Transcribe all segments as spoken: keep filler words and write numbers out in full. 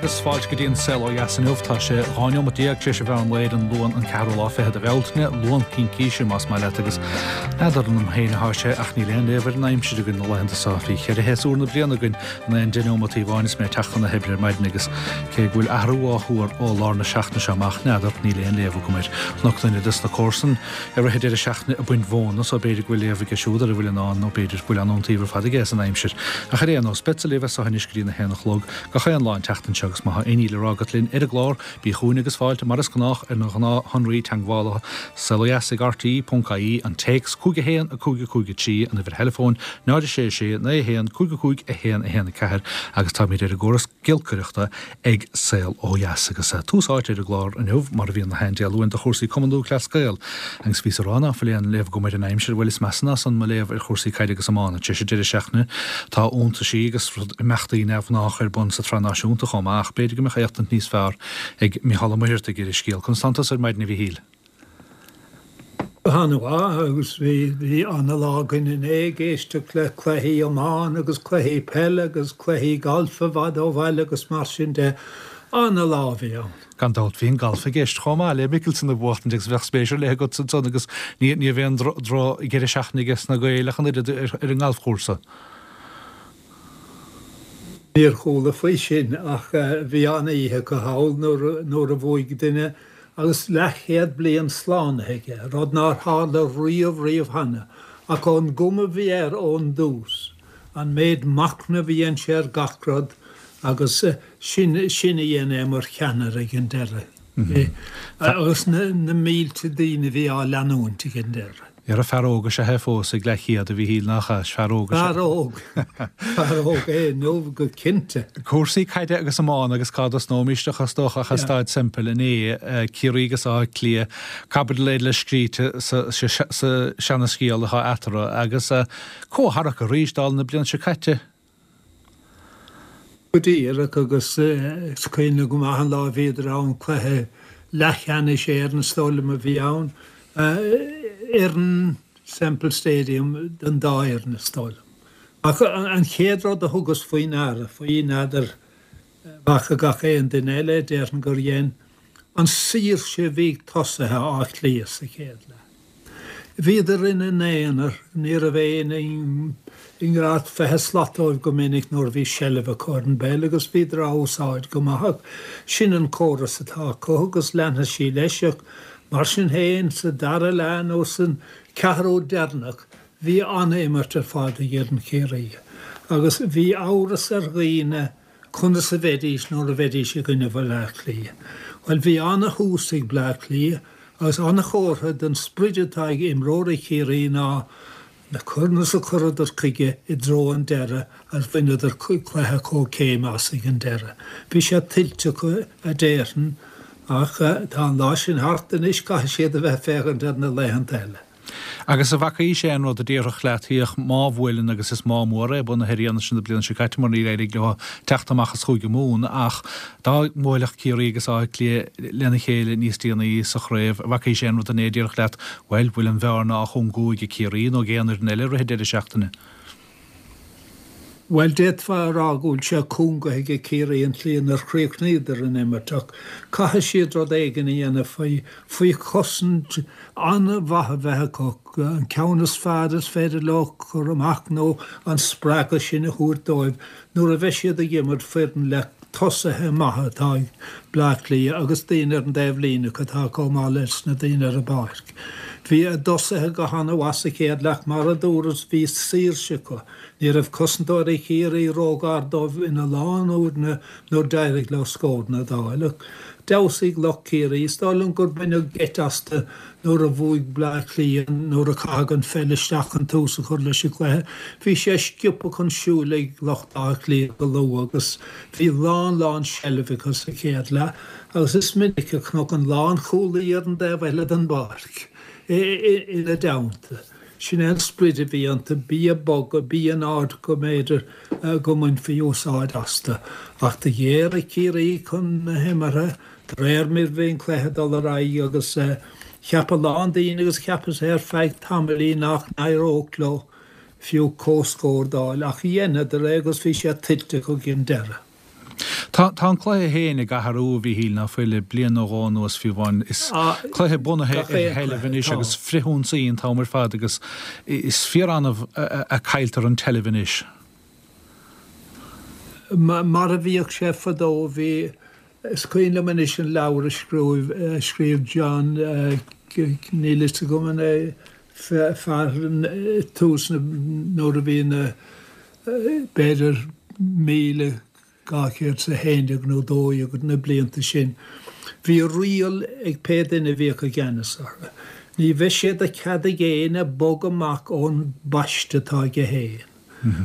agus fáilte go dtí an Saol Ó Dheas inniu tá sé dhá neomat déag tar éis an mheán lae ar an Luan an ceathrú lá fichead de Bhealtaine, Luan Cincíse más maith leat agus n'fheadar an liom féin atá sé ach níl aon léamh ar an aimsir againn na laethanta seo bhí ceithre shéasúr na bliana againn in aon deich neomat amháin is mé ag teacht chun na hoibre ar maidin agus cé go bhfuil athrú á thuar ó lár na seachtaine seo amach n'fheadar níl aon léamh agam air. Chonac duine des na comharsain i rith an deireadh seachtaine ag baint mhóna so b'fhéidir go bhfuil léamh aige siúd ar a bhfuil in ann nó b'fhéidir go bhfuil an-iontaoibh ar fad aige as an aimsir. Ach ar aon nós beadsa libh as seo anois go dtí a haon a chlog gach aon lá an tseachtain seo agus má tá aon ní le rá agat linn ar an gclár bí chugainn agus fáilte mar is gnách ar na gnáthshonraí teagmhála saolodheas ag RTE ponc ie an téacs cúig a haon a cúig a cúig a trí an uimhir theileafóin náid a sé sé naoi a haon cúig a cúig a haon a haon a ceathair agus táimid ar an gcóras giolcaireachta ag Saol Ó Dheas agus tús áite ar an gclár inniu mar a bhíonn na haon Dé Luain do chúrsaí Cumann Lúthchleas Gael agus bhíos ag rá ná fuil aon léamh agam ar an aimsir bhuel is measa ná san mo léamh ar chúrsaí caide agus iomána tar éis an deireadh seachtaine tá iontaisí agus imeachtaí neamhghnách ar bun sa tsraith náisiúnta chomh maith ach b'fhéidir go mbeadh éachtaint níos fearr ag Mícheál Ó Muircheartaigh ar an scéal. Conas tánn tusa ar maidin a Mhíchíl? Go han-mhaith agus bhí bhí an-lá againn inné ag éisteacht le cluichí iomána agus cluichí peile agus cluichí gailf i bhfad ó bhaile agus mar sin de. An-lá a bhí ann. Gan dabht bhí an galf i gceist chomh maith le Mickelson a bhuachtaint agus bheadh spéis ar leith agat ansan agus ní ní bheidh aon drochdheireadh seachtaine aige sna Gaeil ach an oiread ar an ngalfchúrsa. Níor chuala faoi sin ach bhí an-oíche acu thall nuair nuair a bhuaigh duine agus leathchéad bliain slánaithe aige, rud nár tharla riamh riamh cheana, ach ón gcuma a bhí air ón dtús, an méid machnaimh a dhein sé ar gach rud agus sin sin a dhein é mar cheannaire ag an deireadh. Agus na na mílte daoine a bhí á leanúint ag an deireadh. Dhera fear óg is ea é fós ag leathchéad a Mhíchíl nach ea? Is fear óg is ea. Fear óg. Fear óg é inniu go cinnte. Cúrsaí caide agus iomána agus cá dtosnóimis ach is dócha ach i Staid Semple inné, Ciarraí agus Áth Cliath, caibidil eile scríte sa seanascéal atá eatarthu agus comhtharrac arís dála na bliana seo caite. Go díreach agus is cuimhin go maith an lá a bhíodar ann cluiche leathcheannais Éireann is dóigh liom a bhí ann. Ar Semple Stadium don dá fhoireann is dóigh liom. Ach an chéad rud a thugas faoi ndeara, faoi n'fheadar bhfaca gach aon duine eile, déarfainn gur dhein, an saoirse a bhí ag tosaithe Átha Cliath sa chéad leath. Bhíodar ina n-aonar, ní raibh éinne i ngar fiche slat dóibh go minic nuair a bhí seilbh acu ar an bpeil agus bhíodar á úsáid go maith ach sin an córas atá acu agus leanfaidh sí leis ach mar sin féin sa dara leath nó san ceathrú deireanach bhí an-imirt ar fad ag fhoireann Chiarraí agus bhí amhras ar dhaoine conas a bheidís nuair a bheidís i gcoinne Bhaile Átha Cliath. Bhuel bhí an-thús ag Bleá Cliath agus an-chomhartha den sprid atá ag imreoirí Chiarraí ná na conas a chuireadar chuige i dtreo an deireadh agus bhaineadar cluiche comhchéime as ag an deireadh. Bhí sé tuillte acu a déarfainn ach tá an lá sin thart anois caithfidh siad a bheith féachaint ar na laethanta eile. Agus an bhfacaís aon rud a déarfadh leat féach má bhuaileann agus is má mór é bunaithe ar fhianaise na bliana seo caite mar níor éirigh leo teacht amach as Chúige Mumhan ach dá mbuailfeadh Ciarraí agus Áth Cliath lena chéile níos déanaí sa chraobh an bhfacaís aon rud inné a déarfadh leat bhuel bhfuil an bhearna á chúngú ag Ciarraí nó ag aon fhoireann eile i rith an deireadh seachtaine? Bhuel, d'fhéadfá a rá go bhfuil sé cúngaithe ag Ciarraí an tslí inar chríochnaíodar an imirt ach caithfidh siad rud éigin a dhéanamh faoi faoi chosaint an-mhaith a bheith acu, an ceann is fearr is féidir leo cur amach nó an spreagadh sin a thabhairt dóibh nuair a bheidh siad ag imirt foireann le tosaithe maithe atá ag Bleá Cliath agus daoine ar an dtaobh líne acu atá chomh maith leis na daoine ar an bpáirc. Bhí a dtosaithe go han-mhaith sa chéad leath mar a dúras bhí saoirse acu. Ní raibh cosantóirí Chiarraí róghar dóibh ina lán uaireanna nuair d'éirigh leo scóranna a d'fháil ach d'fheabhsaigh lucht Chiarraí. Is dóigh liom gur baineadh geit astu nuair a bhuaigh Bleá Cliath nuair a caitheadh an pheil isteach chun tús a chur leis an gcluiche. Bhí sé sciobtha chun siúil ag lucht Átha Cliath go luath agus bhí lán lán seilbh acu sa chéad leath agus is minic a chonac an lánchúlaí ar an dtaobh eile den bpáirc ina dteannta. Sin é an sprid a bhí iontu, bí ag bogadh, bí in áit go mb'fhéidir go mbainfí úsáid astu. Ach do ghéaraigh Ciarraí chun na himeartha de réir mar bhí an cluiche ag dul ar aghaidh agus cheap a lán daoine agus cheapas é ar feadh tamaillín nach n-éireodh leo fiú comhscór d'fháil ach dheineadar é agus bhí sé tuillte acu ag an deireadh. Tá tá an cluiche féin ag athrú, a Mhíchíl, ná fuil, le bliain nó dhó anuas fiú amháin. Is cluiche bunaithe ar sheilbh anois agus frithionsaí an t-am ar fad agus is fíor-annamh a cailltear an tseilbh anois. Mar a bhíodh sé fadó, bhí, is cuimhin liom anois an leabhar a scríobh, a scríobh John, níl fhios agam an é fear tús na, nuair a bhí na, b'fhéidir míle dhá chéad is a haon déag nó dó dhéag na blianta sin, bhí riail ag pé duine a bhíodh i gceannas orthu. Ní bheadh sé de chead ag éinne bogadh amach ón bpaiste atá aige féin.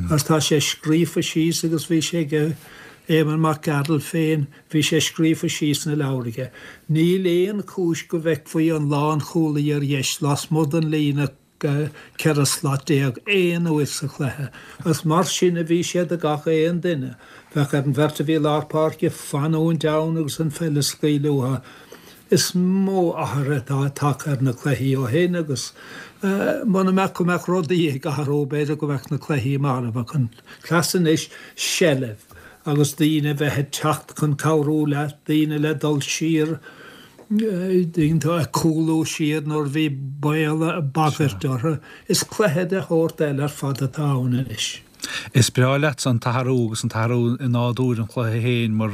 Agus tá sé scríofa síos agus bhí sé ag Éamonn Mac Gearailt féin, bhí sé scríofa síos sna leabhair aige. Níl aon chúis go bhfeicfí an lánchúlaí ar dheis lasmuigh den líne ceithre slat déag aon uair sa chluiche, agus mar sin a bhí sé do gach aon duine. Bheadh ar an bheirt a bhí i lár páirce fanúint ann agus an pheil a scaoileadh uathu. Is mó athruithe atá tagtha ar na cluichí ó shin agus muna mbeadh go mbeadh rudaí ag athrú b'fhéidir go mbeadh na cluichí marbh ach an cleas anois seilbh agus daoine a bheith ag teacht chun cabhrú leat, daoine le dul siar, daoine ag cúlú siar nuair a bhí baol, bagairt orthu. Is cluiche de shórt eile ar fad atá ann anois. Is breá leatsa an t-athrú agus an t-athrú i nádúr an chluiche féin mar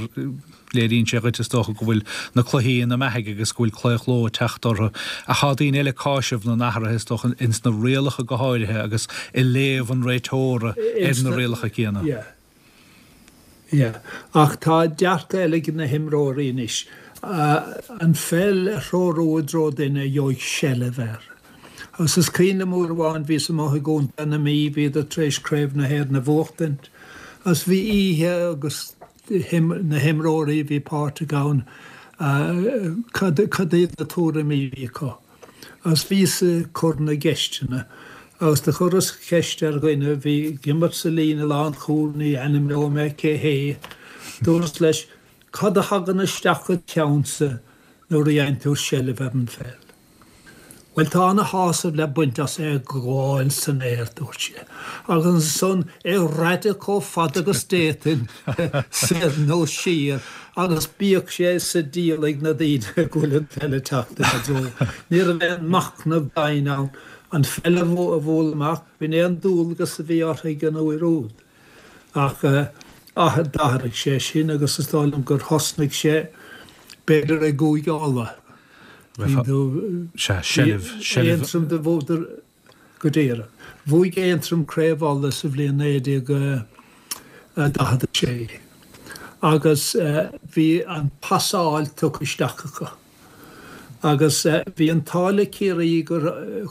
léiríonn sé dhuit is dócha go bhfuil na cluichí ina mbeathaidh agus go bhfuil claochló ag teacht orthu. Ach tá daoine eile ag cáiseamh na n-athruithe is dócha ins na rialacha go háirithe agus i léamh an réiteora ar na rialacha céanna. Yeah. Yeah. Ach tá dearcadh eile ag na himreoirí anois. An pheil a threorú i dtreo duine a gheobhaidh seilbh air. Agus is cuimhin liom uair amháin bhíos amuigh i gContae na Mí, bhíodar tar éis Craobh na hÉireann a bhuachtaint agus bhí oíche agus na himreoirí a bhí páirteach ann, cad iad na tuairimí a bhí acu. Agus bhíos ag cur na gceisteanna agus do chuireas ceist ar dhuine a bhí ag imirt sa líne lánchúil, ní ainmneoidh mé cé hé, dúras leis, Cad a thagann isteach id cheannsa nuair a fhaigheann tú seilbh ar an pheil? Bhuel, tá ana-shásamh le baint as é a ghabháil san aer, dúirt sé, agus ansan é raideadh chomh fada agus d'fhéadfainn, soir nó siar, agus bíodh sé sa diabhal ag na daoine go bhfuil an pheil ag teacht ina dtreo. Ní raibh aon machnamh domhain ann. An pheil a bhualadh amach, b'in é an dualgas a bhí orthu ag an uair úd. Ach d'athraigh sé sin agus is dóigh liom gur thosnaigh sé b'fhéidir i gCúige Uladh. Sea, seilbh, seilbh. Aontroim do bhuadar go díreach. Bhuaigh Aontroim Craobh Uladh sa bhliain naoi déag daichead a sé agus bhí an pasáil tugtha isteach acu. Agus bhí an t-ádh le Ciarraí gur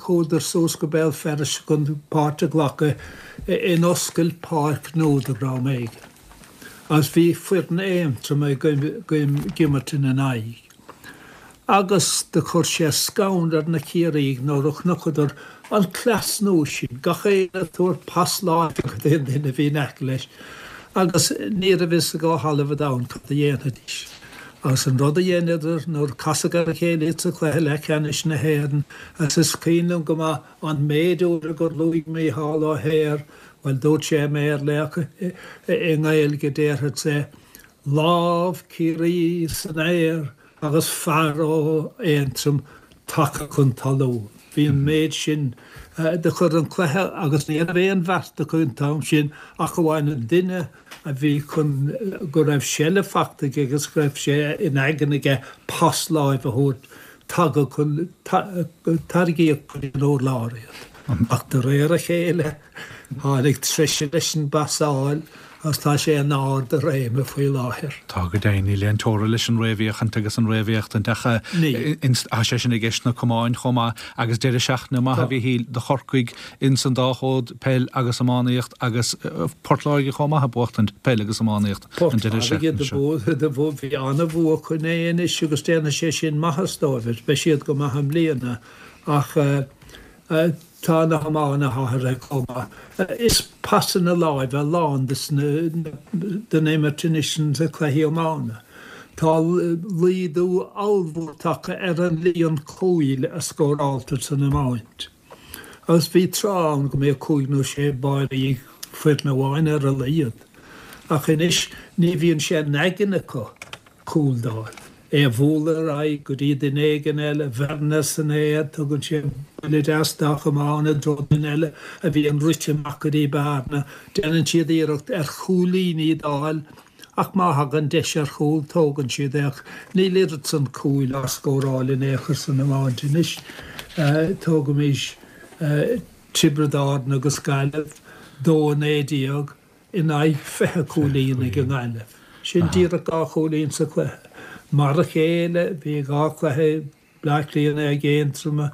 chuadar suas go Béal Feirste chun páirt a ghlacadh in oscailt páirc nua do dhream éigin. Agus bhí foireann Aontroma ag imirt ina n-aghaidh. Agus do chuir sé scanradh ar na Ciarraígh nuair a chonaiceadar an cleas nua sin, gach éinne ag tabhairt pas láimhe go dtí an duine a bhí in aice leis, agus ní raibh fhios ag ó thalamh an domhain cad a dhéanfaidís. Agus an rud a dheineadar nuair a casadh ar a chéile iad sa chluiche leathcheannais na hÉireann, agus is cuimhin liom go maith an méid uaire gur luaigh Mícheál Ó hEithir, bhuel dúirt sé i mBéarla ach i nGaeilge déarfadsa é, lámh Chiarraí san aer agus fear ó Aontroim tagtha chun talún. Bhí an méid sin do chuir an cluiche agus ní raibh aon bheart acu an t-am sin ach amháin an duine a bhí chun go raibh seilbh fachta aige agus go raibh sé in aigne aige pas láimhe a thabhairt tagadh chun tarraingíodh go dtí an urlár iad. Ach de réir a chéile tháinig treise leis an bpasáil agus tá sé in ard a réime faoi láthair. Tá go deimhin, níl aon teora leis an réamhfhéachaint agus an réamhéachtaint ach tá sé sin i gceist sna camáin chomh maith agus deireadh seachtaine maith a Mhíchíl do Chorcaigh ins an dá chód, peil agus iománaíocht agus Port Láirge chomh maith ag buachtaint peil agus iománaíocht an deireadh seachtaine seo. Port Láirge bhí an-bhua acu inné anois agus déanfaidh sé sin maitheas dóibh, beidh siad go maith i mbliana ach Tá na hiomána athraithe chomh maith. Is pasanna láimhe a lán den imirt anois sna cluichí iomána. Tá laghdú ollmhór tagtha ar an líon cúil a scóráltar san iomáint. Agus bhí tráth ann go mbíodh cúig nó sé báirí ag foireann amháin ar a laghad. Ach anois ní bhíonn sé in aigne acu cúl d'fháil. É a bhualadh ar aghaidh go dtí duine éigin eile, bhearna san aer, tugann sé buille deas dá chamán i dtreo duine eile a bhíonn rite amach go dtí bearna. Déanann siad iarracht ar chúilíní d'fháil ach má thagann deis ar chúl tógann siad é ach níl oiread san cúil á scóráil in aon chor san iomáint anois. Tógaimis Tiobraid Árann agus Gaillimh, dó a naoi déag in aghaidh fiche cúilín ag an nGaillimh. Sin díreach dhá chúilín sa chluiche. Mar a chéile, bhí dhá chluiche, Bleá Cliath in aghaidh Aontroma,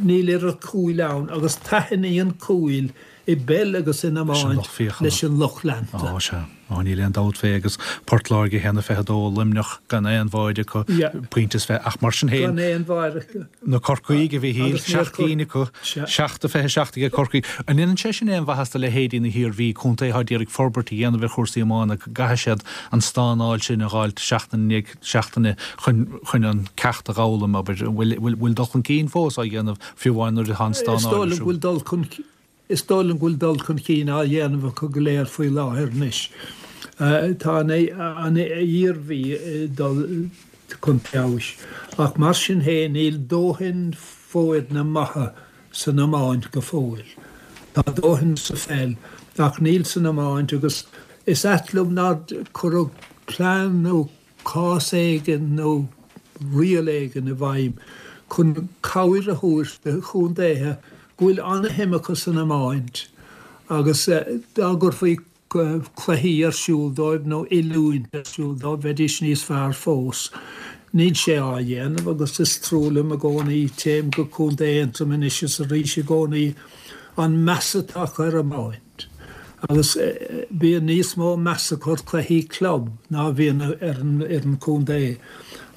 níl oiread cúil ann agus taitníonn cúil i bpeil agus in iomáint leis an lucht leanta. Ó, sea. Ó, níl aon dabht fé agus Port Láirge a haon a fiche dó, Luimneach gan aon bháide acu, pointe is fiche, ach mar sin féin, Gan aon bháide acu. na Corcaígh a Mhichíl, seacht gcinn acu, seacht a fiche seacht aige Corcaigh. An ndéanann sé sin aon mhaitheas do leithéidí na hIarmhí, contae atá d'iarraidh forbairt a dhéanamh ar chúrsaí iomána, go gcaithfidh siad an stánáil sin a dh'fháilt seachtain i ndiaidh seachtaine chun chun an ceacht a dh'fhoghlaim, abair. An bhfuil bhfuil dul chun cinn fós á dhéanamh fiú amháin nuair atá an Is stánáil dóigh ar liom go siúl? bhfuil dul chun Is dóigh liom go bhfuil dul chun cinn á dhéanamh acu go léir faoi láthair anois. Tá an Iarmhí ag dul chun feabhais, ach mar sin féin níl dóthain foirne maithe san iomáint go fóill. Tá dóthain sa pheil, ach níl san iomáint agus is ait liom nár cuireadh plean nó cás éigin nó riail éigin i bhfeidhm chun cabhair a thabhairt do chontaetha go bhfuil an-shuim acu san iomáint agus dá gcuirfí cluichí ar siúl dóibh nó oiliúint ar siúl dóibh, bheidís níos fearr fós. Níl sé á dhéanamh agus is trua liom i gcónaí, téim go Contae Aontroim anois is arís i gcónaí, an meas atá acu ar iomáint. Agus bíonn níos mó meas acu ar chluichí club ná a bhíonn ar an fhoireann contae.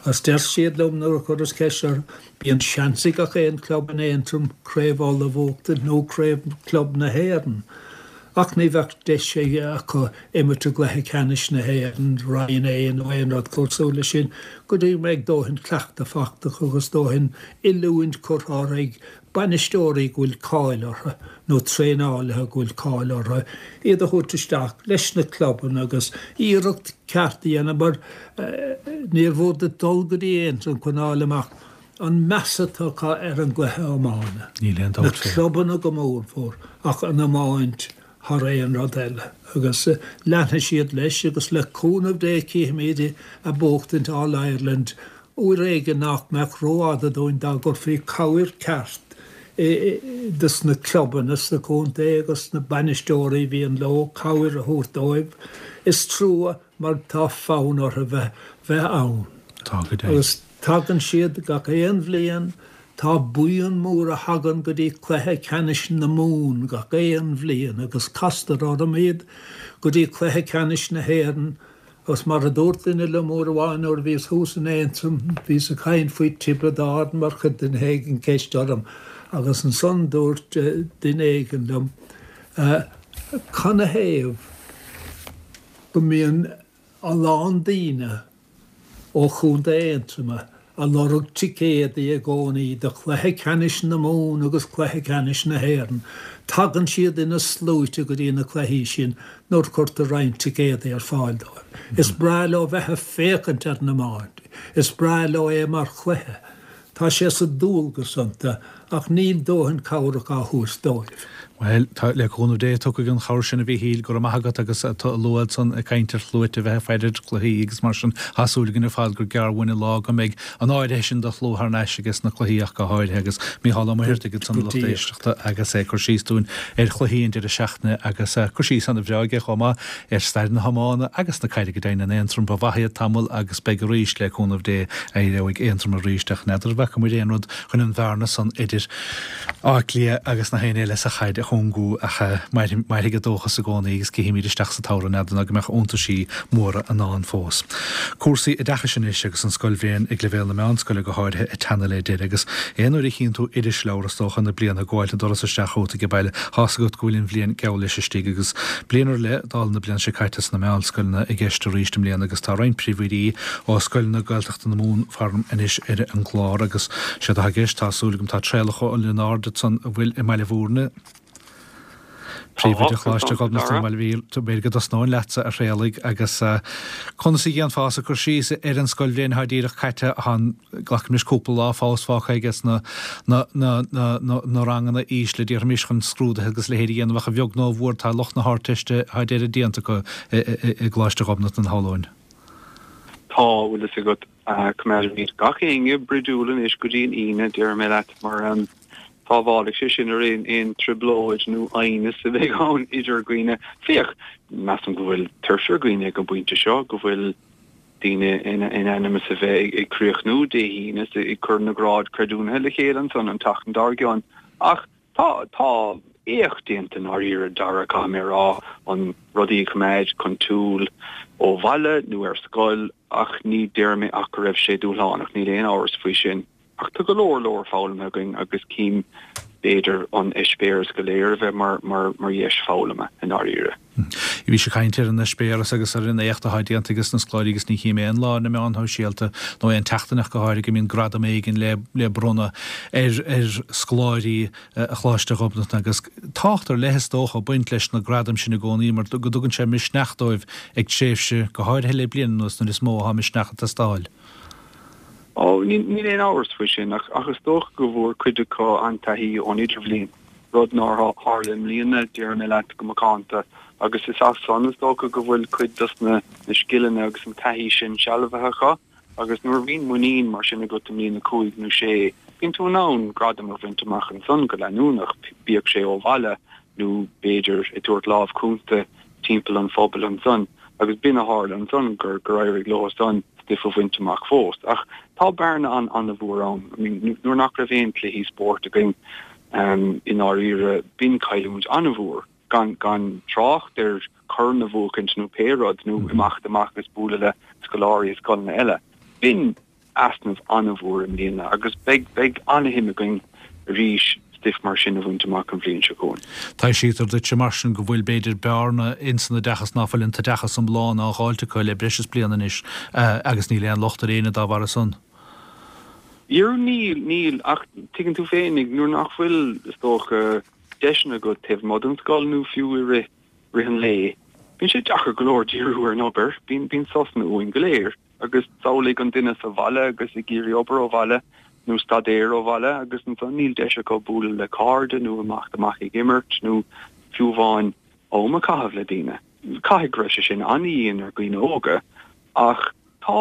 Agus deir siad liom nuair a chuireas ceist orthu, bíonn seans ag gach aon chlub in Aontroim Craobh Uladh a bhuachtaint nó Craobh Club na hÉireann. Ach ní bheadh deis acu imirt i gcluiche ceannais na hÉireann, Roinn A nó aon rud cosúil leis sin go dtí go mbeidh dóthain cleachtadh fachta acu agus dóthain oiliúint curtha orthu ag bainisteoirí go bhfuil cáil orthu nó traenálaithe go bhfuil cáil orthu, iad a thabhairt isteach leis na clubanna agus iarracht ceart a dhéanamh mar níor mhór duit dul go dtí Aontroim chun fháil amach an meas atá acu ar an gcluiche iomána. Níl aon Na dabht fé. clubanna go mórmhór ach an iomáint thar aon rud eile agus leanfaidh siad leis agus le cúnamh Dé cífimid ag buachtaint All Ireland uair éigin nach mbeadh rófhada dúinn dá gcuirfí cabhair ceart dos na clubanna sa chontae agus na bainisteoirí a bhíonn leo, cabhair a thabhairt dóibh. Is trua mar tá fonn orthu bheith bheith ann. Tá go deimhin. Agus tagann siad gach aon bhliain, tá buíon mór a thagann go dtí cluiche ceannais na Mumhan gach aon bhliain agus castar orm iad go dtí cluiche ceannais na hÉireann Agus mar a dúirt duine liom uair amháin nuair a bhíos thuas in Aontroim, bhíos ag caint faoi Tiobraid Árann mar chuir duine éigin ceist orm agus ansan dúirt duine éigin liom, Canathaobh go mbíonn a lán daoine ó Chontae Aontroma a lorg ticéadaí i gcónaí do chluiche ceannais na Mumhan agus cluiche ceannais na hÉireann. Tagann siad ina sluaite go dtí na cluichí sin nuair cuirtear roinnt ticéadaí ar fáil dóibh. Is breá leo bheith ag féachaint ar an iomáint. Is breá leo é mar chluiche. Tá sé sa dualgas iontu ach níl dóthain cabhrach á thabhairt dóibh. Bhuel, tá, le cúnamh Dé, tiocfaidh an chabhair sin a Mhichíl, go raibh maith agat agus tú a lua ansan ag caint ar shluaite a bheith ag faire ar chluichí agus mar sin, tá súil againn ar fad gur gearr uainn an lá go mbeidh an áirithe sin de shlua thar n-ais ages na cluichí ach go háirithe agus Mícheál Ó Muircheartaigh ansan Go lucht díreach. éisteachta agus é ag cur síos dúinn ar chluichí an deireadh seachtaine agus cur síos ana-bhreá aige chomh maith ar stair na hiomána agus na caide go deimhin in Aontroim. Ba mhaith iad tamall agus beidh arís le cúnamh Dé éireoidh Aontroim arís ach n'fheadar an bhfaca muid aon rud chun an bhearna san idir Áth Cliath agus na héinne eile sa chaid a chúngú ach mairfidh an dóchas i gcónaí agus cífimid isteach sa tsamhradh n'fheadar ná go mbeadh iontaisí móra i ndán fós. Cúrsaí oideachais anois agus an scoilbhliain ag leibhéal na meánscoile go háirithe ag teannadh le deireadh agus aon uair a chíonn tú irisleabhar is dócha na bliana ag gabháilt an doras isteach chugat ag baile tá's agat go bhfuil an bhliain geall leis istigh agus bliain ar leith dála na bliana seo caite sna meánscoileanna i gceist arís i mbliana agus tá roinnt príomhoidí ó scoileanna Gaeltachta na Mumhan faram anois ar an gclár agus sé atá i gceist tá súil agam tá Traolach Ó Lionáird ansan a bhfuil i mBaile Bhúirne. Príomhoide Choláiste Ghobnatan, bhuel bhí b'fhéidir go dtosnóinn leatsa a Thraolaigh agus conas a dhéanfása cur síos ar an scoilbhliain atá díreach caite an glacaimís cúpla lá fós fágtha aige na na na na na na ranganna ísle déarfaimis chun scrúduithe agus leithéid a dhéanamh ach a bheag nó a mhór tá lucht na hArdteiste thar deireadh déanta acu i gColáiste Ghobnatan shamhlóinn. Tá bhfuil a fhios agat coimeádfaimid gach éinne brídiúil anois go dtí an Aoine déarfaidh mé leat mar um, sábhálfaidh sé sin ar aon aon trioblóid nó aighneas a bheidh ann idir dhaoine. Féach, measaim go bhfuil tuirse ar dhaoine ag an bpointe seo, go bhfuil daoine in in ainm is a bheith ag críochnú Dé hAoine is ag cur na grád creidiúnaithe le chéile ansan an tseachtain dár gcionn. Ach tá tá éacht déanta i ndáiríre Dara caithfidh mé a rá an rudaí a choimeád chun siúil ó bhaile nó ar scoil ach ní déarfaidh mé ach go raibh sé dúshlánach, níl aon amhras faoi sin. Ach tá go leor leor foghlamtha againn agus cím b'fhéidir an eispéireas go léir a bheith mar mar mar dheis foghlama i ndáiríre. Bhí sé caint ar an eispéireas agus ar an éacht atá déanta ag na scoláirí agus ní chím aon lá na meáin shóisialta nó aon tseachtain ach go háirithe go mbíonn gradam éigin le le bronnadh ar ar scoláirí a Choláiste Ghobnatan agus tábhacht ar leith is dócha ag baint leis na gradaim sin i gcónaí mar go dtugann sé misneach dóibh ag tréimhse go háirithe le bliain anuas nuair is mó atá misneach ag teastáil. Ó níl aon amhras faoi sin ach ach is dócha go bhfuair cuid acu an-taithí ón idirbhliain rud nár tharla i mbliana déarfaidh mé leat go macánta agus is as san is dócha go bhfuil cuid dos na na scileanna agus an taithí sin sealbhaithe acu agus nuair a bhíonn muinín mar sin agat i mbliain a cúig nó sé bíonn tú in ann gradam a bhaint amach ansan go leanúnach bíodh sé ó bhaile nó b'fhéidir ag tabhairt lámh cúnta timpeall an phobail ansan agus b'in a tharla ansan gur gur éirigh leo san stuif a bhaint amach fós. Ach tá bearna an an-mhór ann. I mean, nuair nach raibh aon cluichí spóirt againn um, i ndáiríre b'in cailliúint an-mhór gan gan trácht ar chorn a bhuachaint nó pé rud nó mm -hmm. imeacht amach agus bualadh le scoláirí scoileanna eile. B'in easnamh an-mhór i mbliana agus beidh beidh an-shuim againn arís stuif mar sin a bhaint amach an bhliain seo chugainn. Taibhsítear duitse mar sin go bhfuil b'fhéidir bearna insan oideachas ná fuil an t-oideachas iomlán á dháileadh acu le breis is bliain anois agus níl aon locht ar éinne dá bharr san. Níl níl níl ach tuigeann tú féinig nuair nach bhfuil is dócha deiseanna agat taobh amuigh den scoil nó fiú i rith rith an lae. Bíonn sé deacair go leor díriú ar an obair, bíonn bíonn sosanna uainn go léir agus samhlaigh an duine sa bhaile agus ag iarraidh obair ó bhaile nó staidéar ó bhaile agus ansan níl deis acu bualadh le cairde nó amach amach ag imirt nó fiú amháin am a chaitheamh le daoine. Caithfidh go raibh sé sin an-dian ar dhaoine óga ach tá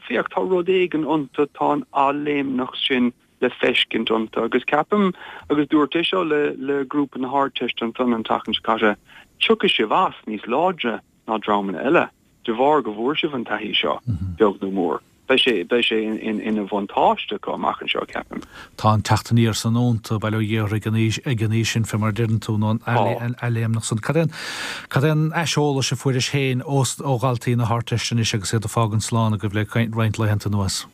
féach tá rud éigin iontu tá an athléimneacht sin le feiscint iontu agus ceapaim agus dúirt é seo le le grúpa na hArdteiste ansan an tseachtain seo caite tiocfaidh sibh as níos láidre ná dreamanna eile de bharr go bhfuair sibh an taithí seo beag nó mór. Beidh sé beidh sé in ina bhuntáiste acu amach anseo ceapaim. Tá an teacht aniar san iontu bail ó Dhia ag an aois ag an aois sin fé mar deireann tú nó an athléimneacht san. Cad é cad é an aiseolas a fuairis féin ó ó dhaltaí na hArdteiste anois agus iad ag fágaint slán agaibh le roinnt laethanta anuas?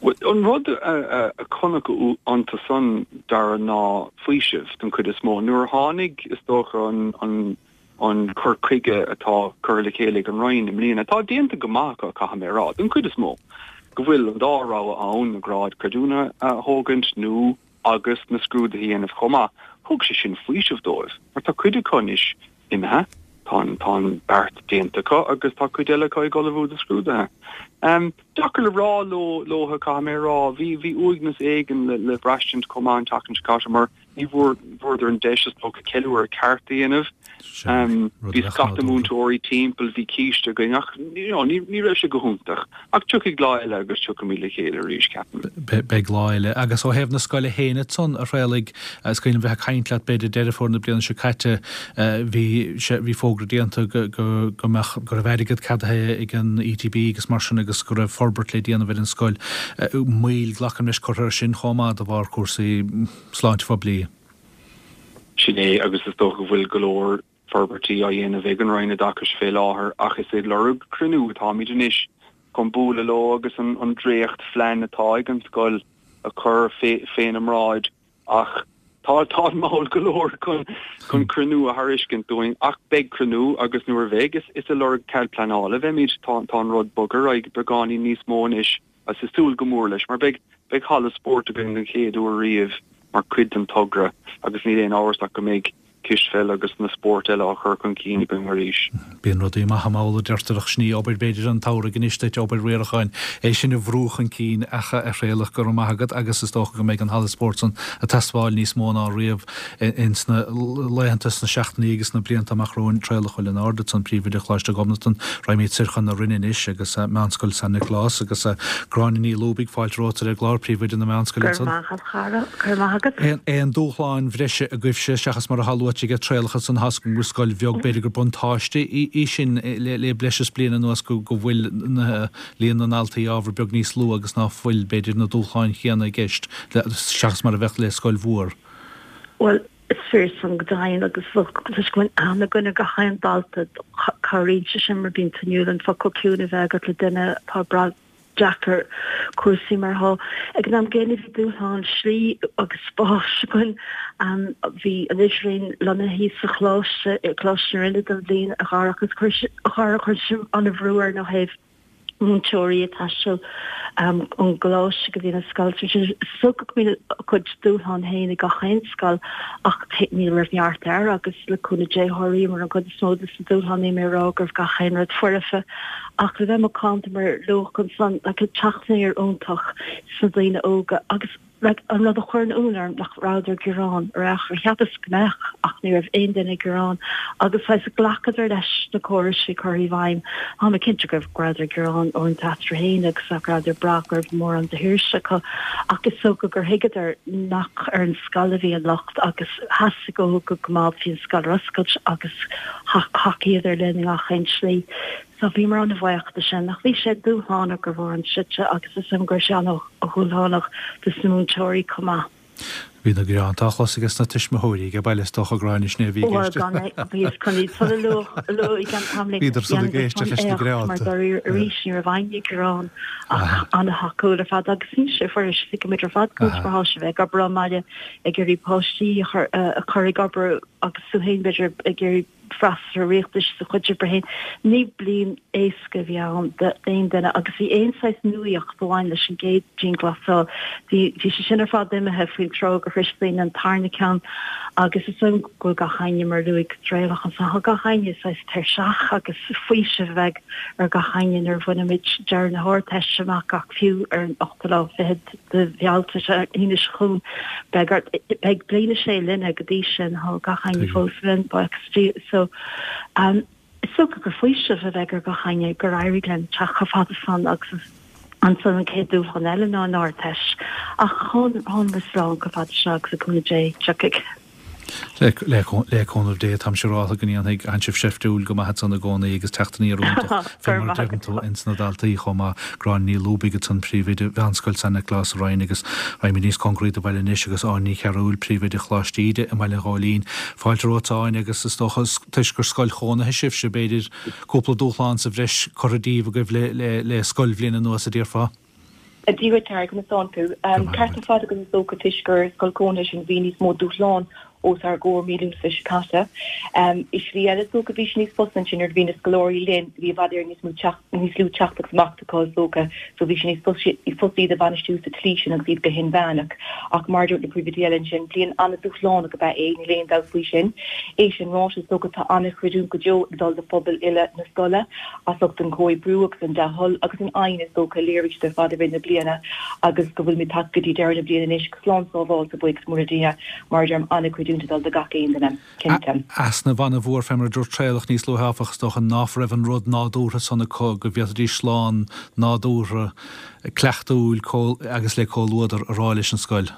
An rud a chonac iontu san Dara ná faoiseamh den chuid is mó. Nuair a tháinig is dócha an an an cur chuige atá curtha le chéile ag an Roinn i mbliana atá déanta go maith acu caithfidh mé a rá den chuid is mó go bhfuil an dá rogha ann na gráid creidiúnaithe a thógaint nó agus na scrúduithe a dhéanamh chomh maith. Thug sé sin faoiseamh dóibh, mar tá cuid acu anois imithe, tá tá an beart déanta acu agus tá cuid eile acu ag ullmhú do scrúduithe. Um, Deacair le rá leo leo caithfidh mé a rá, bhí bhí uaigneas éigin le le braistint chomh maith an tseachtain seo caite mar ní bhfuair bhfuaireadar an deis is dócha ceiliúradh ceart a dhéanamh. Um, bhí scata múinteoirí timpeall bhí císte againn ach you know, ní ní raibh sé go hiontach ach tiocfaidh lá eile agus tiocfaimid le chéile arís ceapaim. Beidh lá eile agus ó thaobh na scoile féin ansan a Thraolaigh is cuimhin bheith ag caint leat b'fhéidir Deireadh Fómhair na bliana seo caite bhí sé bhí fógra déanta go go go mbeadh go raibh airgead ceadaithe ag an ETB agus mar sin agus go raibh forbairt le déanamh ar an scoil. Moill glacaim leis curtha air sin chomh maith de bharr cúrsaí sláinte phoiblí. Sin é agus is dócha go bhfuil go leor forbairtí á dhéanamh ag an Roinn Oideachais fé láthair ach is ag lorg cruinniú atáimid anois chun bualadh leo agus an, an dréacht phlean atá ag an scoil a chur fé, féna mbráid ach tá tá mall go leor chun chun cruinniú a thairiscint dúinn ach beidh cruinniú agus nuair a bheidh is is ag lorg cead pleanála bheimid tá tá an rud bogtha ar aghaidh beagáinín níos mó anois agus ag súil go mór leis mar beidh beidh halla spóirt againn den chéad uair riamh mar chuid den togra agus níl aon amhras ach go mbeidh cispheil agus na spóirt eile á chur chun cinn againn arís. Bíonn rudaí maithe mall a deirtear ach sin í obair b'fhéidir an tsamhraidh anois duit, obair riaracháin, é sin a bhrú chun cinn ach a Thraolach go raibh maith agat agus is dócha go mbeidh an halla spóirt san ag teastáil níos mó ná riamh ins na laethanta, sna seachtainí agus sna blianta amach romhainn. Traolach Ó Lionáird ansan, Príomhoide Choláiste Ghobnatan. Raghaimid soir chun na Rinne anois agus Meánscoil San Nioclás agus Gráinne Ní Lúbaigh, fáilte romhat ar an gclár, Príomhoide na Meánscoile ansan. Go raibh maith agat, a chara. Go raibh maith agat. Aon dúshláin bhreise agaibhse seachas mar atá luaite ag Traolach ansan tá a fhios agam gur scoil bheag, b'fhéidir gur buntáiste í sin le breis is bliain anuas go bhfuil líon na ndaltaí ábhar beag níos lú agus ná fuil, b'fhéidir, na dúshláin chéanna i gceist seachas mar a bheadh le scoil mhór. Bhuel, is fíor san go deimhin agus toisc go bhfuil aithne againn ar gach aon dalta, cabhraíonn sé sin mar bíonn tú inniúil an focal ciúin a bheith agat le duine atá ag brath deacair cúrsaí mar atá. Ag an am gcéanna bhí dúshlán slí agus spáis againn. Bhí an idirbhliain lonnaithe sa choláiste, i gColáiste na Rinne don bhliain a Dhara agus chuir chuir sin an-bhrú orainn ó thaobh múinteoirí ag taisteal ón gcoláiste go dtí an scoil. Is dócha go mbíonn a cuid dúshlán féin ag gach aon scoil ach ní raibh neart air agus le cúnamh Dé sháraíomar an chuid is mó de na dúshláin níl mé ag rá go raibh gach aon rud foirfe ach le bheith macánta mar luadh ansan like teacht aniar iontach sna daoine óga agus like an rud a chuireann ionadh orm nach rabhadar ag gearán ar aon chor. Cheapas go mbeadh ach ní raibh aon duine ag gearán agus saghas ghlacadar leis na córais a bhí curtha i bhfeidhm. Tá mé cinnte go rabhadar ag gearán uaireanta eatarthu féin agus nach rabhadar ag brath go raibh mórán de shaoirse acu ach is dócha gur thuigeadar nach ar an scoil a bhí an locht agus theastaigh uathu go gcoimeádfaí an scoil ar oscailt agus thacaíodar linn i ngach aon slí. So bhíomar an-bhuíoch de sin. Ach bhí sé dúshlánach ar bharr an tslite agus is dóigh liom go raibh sé an-dhúshlánach dos na múinteoirí chomh maith. Bhí na gearáin á chlos aige sna tuismitheoirí ag baile is dócha Gráinne sin é a bhí i gceist. Bhuel gan é, bhíos chun iad san a lua i gceann tamaill. Bhíodar san ag éisteacht leis na gearánta. Mar dáiríre arís ní raibh éinne ag gearán ach an-thacúil ar fad agus níl sé fuirist, tuigimid ar fad conas mar atá sé bheith ag obair ón mbaile ag iarraidh páistí a chur ag obair agus tú féin b'fhéidir ag iarraidh freastal ar riachtanais do chuid oibre féin. Ní bliain éasca a bhí ann d'aon duine agus bhí aon saghas nuaíocht a bhain leis an gcéad dianghlasáil, bhí bhí sé sin ar fad imithe faoin tráth gur shroich daoine an tarna ceann agus is dóigh liom go bhfuil gach éinne mar a luaigh Traolach ansan, tá gach éinne saghas tuirseach agus faoiseamh a bheidh ar gach éinne nuair a bhainfimid deireadh na hArdteiste amach ach fiú ar an ochtú lá fichead de Bhealtaine, Aoine seo chugainn, beidh ort, beidh bliain a sé linne go dtí sin, tá gach éinne fós linn, buíochas le Dia. So, um, is dócha gur faoiseamh a bheidh ar gach éinne gur éirigh linn teacht chomh fada san agus ansan an chéad dúshlán eile ná an Ardteist. Ach thánamar slán chomh fada seo agus le cúnamh Dé, tiocfaidh. Le cúnamh Dé, táim siúráltha go ndéanfaidh tánn sibh seiftiúil go maith ansan i gcónaí agus teacht aniar iontach fé mar a deireann tú ins na daltaí chomh maith. Gráinne Ní Lúbaigh ansan, Príomhoide Mheánscoil San Nioclás sa Rinn agus raghaimid níos cóngaraí do bhaile anois agus Áine Ní Chearúil, Príomhoide Choláiste Íde i mBaile an Ghóilín. Fáilte romhat a Áine agus is dócha toisc gur scoil chónaithe sibhse b'fhéidir cúpla dúshlán sa bhreis curtha díbh agaibh le le scoilbhliain anuas a déarfá. Dia dhuit a Dhara, conas tánn tú? Ceart ar fad agus is dócha toisc gur scoil chónaithe sinn bhí níos mó dúshlán os ár gcomhair mí Lúnasa seo caite. I slí eile is dócha bhí sé níos fusa ansin nuair a bhí na scoláirí linn, bhí i bhfad Éireann níos mó teacht, níos lú teacht agus imeacht acu is dócha so bhí sé níos fusa iad a bhainistiú sa tslí sin agus iad go hinmheánach. Ach mar a dúirt na príomhoidí eile ansin, bliain an-dúshlánach ab ea é, níl aon dabht faoi sin. É sin ráite, is dócha tá an-chreidiúint go deo ag dul do phobal uile na scoile as ucht an comhoibriú agus an dea-thoil agus an fhoighne is dócha a léirigh siad ar fad i rith na bliana agus go bhfuilimid tagtha go dtí deireadh na bliana anois slán sábháilte, buíochas mór le Dia. Mar a deirim, an-chreidiúint ag dul do gach aon duine, cinnte. Easnamh an-mhór fé mar a dúirt Traolach níos luaithe, áfach, is dócha ná raibh an rud nádúrtha san acu go bhféadfaidís slán nádúrtha, cleachtúil agus le comhluadar a rá leis an scoil.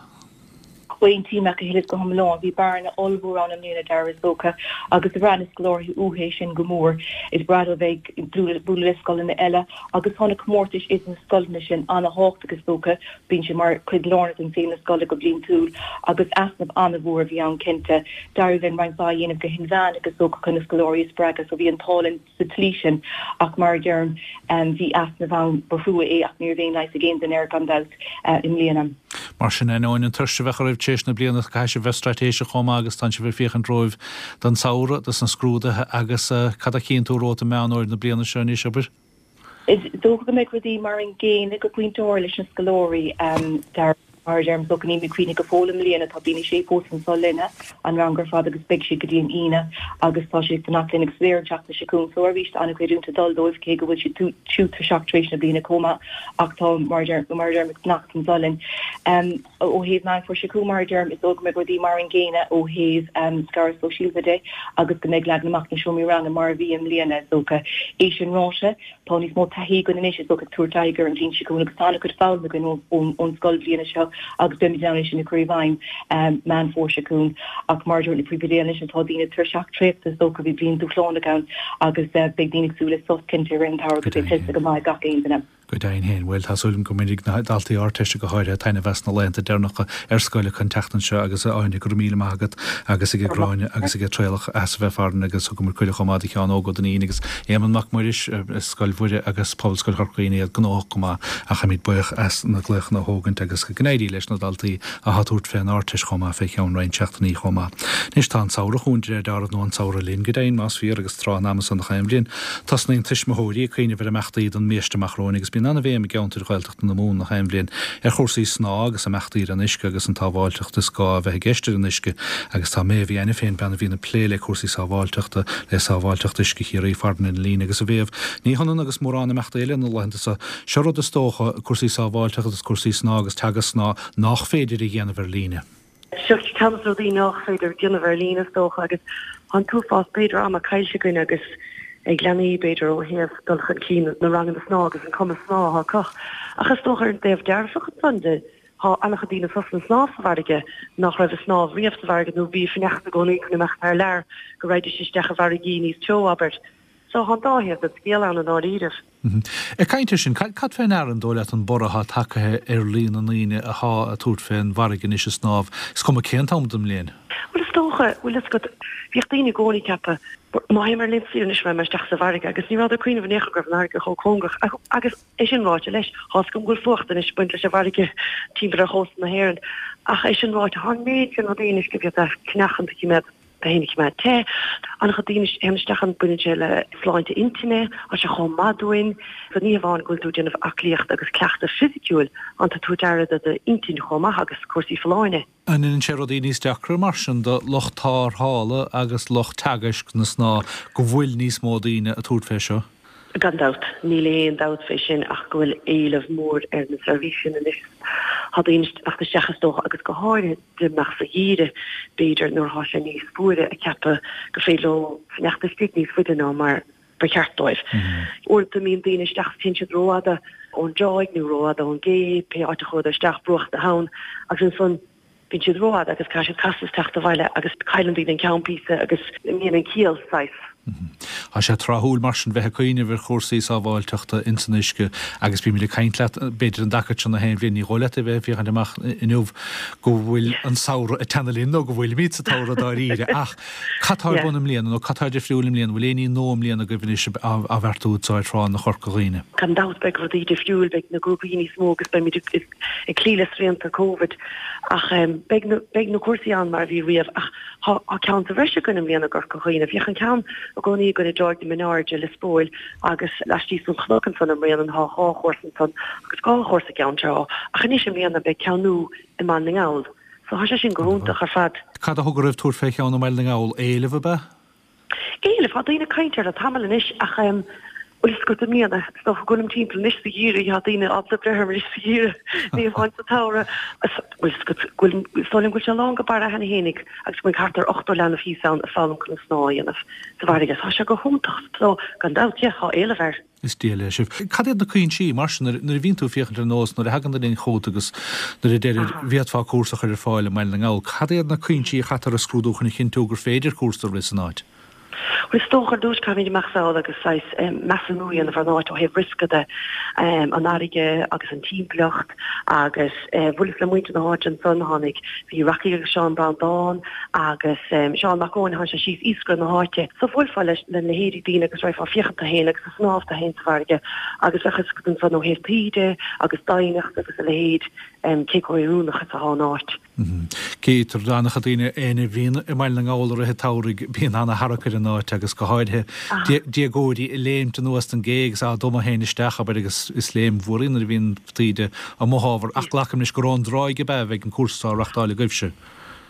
Aontaím leat go huile is go hiomlán. Bhí bearna ollmhór ann i mbliana, Dara, is dócha, agus bhraith na scoláirí uathu é sin go mór. Is breá leo bheith ag bualadh le scoileanna eile agus tá na comórtais idir na scoileanna sin an-thábhachtach, is dócha. Bíonn sé mar chuid lárnach den saol na scoile go bliantúil agus easnamh an-mhór a bhí ann cinnte. D'éirigh linn roinnt mhaith a dhéanamh go hinmheánach is dócha chun na scoláirí a spreagadh so bhí an t-ádh linn sa tslí sin ach mar a deirim bhí easnamh ann, ba thrua é ach ní raibh aon leigheas ag aon duine air gan dabht i mbliana. Mar sin, ainneoin an tuirse a bheadh oraibh tar éis na bliana, caithfidh sibh bheith straitéiseach chomh maith agus tánn sibh ag féachaint romhaibh don samhradh, dos na scrúduithe agus cad a chíonn tú romhat i Meán Fhómhair na bliana seo anois, abair? Is dócha go mbeidh rudaí mar an gcéanna go pointe áirithe leis na scoláirí. Mar a deirim, is dócha níl mé ag cuimhneamh go fóill i mbliana, tá bliain a sé fós anso linne, an rang ar fad agus beidh siad go dtí an Aoine agus tá siad ag fanacht linn agus léir an tseachtain seo chugainn. So arís tá an-chuid ag dul dóibh cé go bhfuil siad siúd tuirseach tar éis na bliana chomh maith ach tá mar a deirim, mar a deirim ag fanacht anso linn. Um, ó thaobh Meán Fómhair seo chugainn mar a deirim, is dóigh go mbeidh rudaí mar an gcéanna ó thaobh um, scaradh sóisialta de agus go mbeidh leagan amach na seomraí ranga mar a bhí i mbliana is dócha. É sin ráite, tá níos mó taithí againn anois is dócha ag tabhairt aghaidh ar an bhliain seo chugainn agus tá an-chuid foghlama againn ón scoilbhliain seo agus beimid in ann é sin a chur i bhfeidhm Meán Fómhair seo chugainn ach mar a dúirt na príomhoidí anois tá daoine tuirseach traochta is dócha bhí bliain dúshlánach ann agus beidh daoine ag súil le sos cinnte i rith an tsamhraidh go mbeidh tuillte go maith ag gach aon duine. Go deimhin féin. Bhuel, tá súil agam go mbainfidh na daltaí Ardteiste go háirithe taitneamh as na laethanta deireanacha ar scoil acu an tseachtain seo agus a Áine, go raibh míle maith agat agus ag Gráinne agus ag Traolach as a bheith farainn agus thugamar cuireadh chomh maith do Sheán Óg Ó Duinnín agus Éamonn Mac Muiris, Scoil Mhuire agus Pobalscoil Chorca Dhuibhne iad gnóthach go maith ach táimid buíoch as na glaochanna a thógaint agus go n-éirí leis na daltaí atá ag tabhairt fén Ardteist chomh maith fé cheann roinnt seachtainí chomh maith. Anois tá an samhradh chugainn de réir dealraimh nó an samhradh linn go deimhin más fíor agus tráth an ama san gach aon bhliain. Tosnaíonn tuismitheoirí ag cuimhneamh ar imeachtaí don mbiaiste amach romhainn agus bíonn an-bhéim i gceantair Ghaeltachta na Mumhan gach aon bhliain ar chúrsaí snámha agus imeachtaí ar an uisce agus an tsábháilteacht is gá a bheith i gceist ar an uisce agus tá Méabh Uí Ainiféin, bean a bhíonn ag plé le cúrsaí sábháilteachta, le Sábháilteacht Uisce Chiarraí farainn ar an líne agus a Mhéabh, ní hionann agus mórán imeachtaí eile na laethanta seo, seo rud is dócha, cúrsaí sábháilteachta agus cúrsaí snámha agus teagasc snámha nach féidir a dhéanamh ar líne. Seo ceann de na rudaí nach féidir déanamh ar líne is dócha agus tá an t-uafás b'fhéidir ama caillte againn agus ag leanaí b'fhéidir ó thaobh dul chun cinn na ranganna snámha agus an cumas snámha atá acu. Ach is dócha ar an dtaobh dearfach ansan de, tá an-chuid daoine sásta snámh sa bhfarraige nach raibh ag snámh riamh sa bhfarraige nó bhí ag fanacht i gcónaí chun imeacht thar lear go raghaidís isteach i bhfarraigí níos teo, abair. So tá an dá thaobh den scéal ann i ndáiríribh. Ag caint air sin, cad fé ndeara an dóigh leat an borradh atá tagtha ar líon na ndaoine atá ag tabhairt fén bhfarraige anois ag snámh, is cuma cén t-am den mbliain? Bhuel is dócha, bhfuil fhios agat, bhíodh daoine i gcónaí ag ceapadh, má théim ar laethanta saoire anois raghaidh mé isteach sa bhfarraige agus ní rabhadar ag cuimhneamh in aon chor go raibh an fharraige chomh cóngarach agus é sin ráite leis, tá fhios agam go bhfuil fuacht anois ag baint leis an bhfarraige timpeall ar chósta na hÉireann ach é sin ráite, tá an méid sin rudaí anois go bhféadfá a cheannach a choimeád tú féin a choimeád te. An-chuid daoine a théann isteach ann baineann sé le sláinte intinne, tá sé chomh maith dúinn. So ní hamháin go bhfuil tú ag déanamh aclaíocht agus cleachtadh fisiciúil, tá tú ag tabhairt aire do d'intinn chomh maith agus cúrsaí folláine. An ndéanann sé rudaí níos deacra mar sin do lucht tarrthála agus lucht teagaisc na snámha go bhfuil níos mó daoine ag tabhairt fé seo? Gan dabht, níl aon dabht fé sin ach go bhfuil éileamh mór ar na seirbhísí sin anois. Tá daoine ag teacht isteach is dócha agus go háirithe dá mbeadh sa gheimhreadh b'fhéidir nuair atá sé níos fuaire ag ceapadh gur féidir leo fanacht istigh níos faide ná mar ba cheart dóibh. Uaireanta mbíonn daoine isteach téann siad rófhada ón dtráigh nó rófhada ón gcé, pé áit a chuadar isteach, bruach na habhann agus ansan Bíonn siad rófhada agus caithfidh siad casadh is teacht abhaile agus cailleann daoine an ceann píosa agus imíonn an ciall, saghas. Tá sé tráthúil mar sin bheith ag cuimhneamh ar chúrsaí sábháilteachta ins an uisce agus bímid ag caint leat b'fhéidir an dtaca seo na haon bhliain, ní dhóigh leat a bheith ag féachaint amach inniu go bhfuil an samhradh ag teannadh linn nó go bhfuilimid sa tsamhradh dáiríre ach cad tá ar bun i mbliana nó cad tá difriúil i mbliana, bhfuil aon ní nua i mbliana agaibh anois á bheartú anseo ar thránna Chorca Dhuibhne? Gan dabht beidh rudaí difriúil, beidh na grúpaí níos mó agus beimid ag ag cloí le srianta Covid ach beidh na beidh na cúrsaí ann mar a bhí riamh ach tá tá ceann sa bhreis againn i mbliana i gCorca Dhuibhne. Bhíodh an ceann i gcónaí againn i dTráigh na Mionairde, Lios Póil agus laistíos den chnoc ansan i mBréanainn tá dhá chúrsa ansan agus dhá chúrsa i gCeann Trá ach anois i mbliana beidh ceann nua i mBaile na nGall so tá sé sin go hiontach ar fad. Cad a thug oraibh tabhairt fé cheann i mBaile na nGall? Éileamh ab ea? Éileamh, tá daoine ag caint air le tamall anois ach bhfuil fhios agat i mbliana, is dócha go bhfuilim timpeall anois sa gheimhreadh, tá daoine ábalta breith orm anois sa gheimhreadh, ní hamháin sa tsamhradh. Bhfuil fhios agat go bhfuil, is dóigh liom go bhfuil sé lán go barra cheana fhéinig agus go mbeidh thart ar ochtó leanbh thíos ann ag foghlaim conas snámh a dhéanamh sa bhfarraige. Tá sé go hiontach so gan dabht, yeah, tá éileamh air. Is diail é sibh. Cad iad na cuinsí, mar sin, nuair a bhíonn tú ag féachaint ar nós, nuair a thagann duine chugat agus nuair a deirir, bhféadfá cúrsa a chur ar fáil i mBaile na nGall, cad iad na cuinsí a chaitear a scrúdú chun a chinntiú gur féidir cúrsa a rith san áit? Bhuel, is dócha ar dtús caithfimid imeacht sall agus saghas measúnú a dhéanamh ar an áit ó thaobh riosca de, an fharraige agus an timpeallacht agus bhuaileas le muintir na háite ansan, tháinig, bhí Rocky agus Seán Breandán agus Seán Mac Eoin, tháinig sé síos iascaire na háite. So bhuailfeá leis na leithéidí daoine agus raghfá ag féachaint tú féin agus ag snámh tú féin sa bhfarraige agus bheadh fhios agat ansan ó thaobh taoide agus doimhneacht agus a leithéid cé chomh hoiriúnach is atá an áit. Cítear d'an-chuid daoine éinne a bhíonn i mBaile na nGall i rith an tsamhraidh, bíonn ana-tharrac ar an áit agus go háirithe déagóirí ag léimt anuas den gcé agus á dtumadh féin isteach, abair, agus is léim mhór í nuair a bhíonn taoide amuigh ábhar ach glacaim leis gur ón dtráigh ab ea a bheidh an cúrsa á reachtáil agaibhse.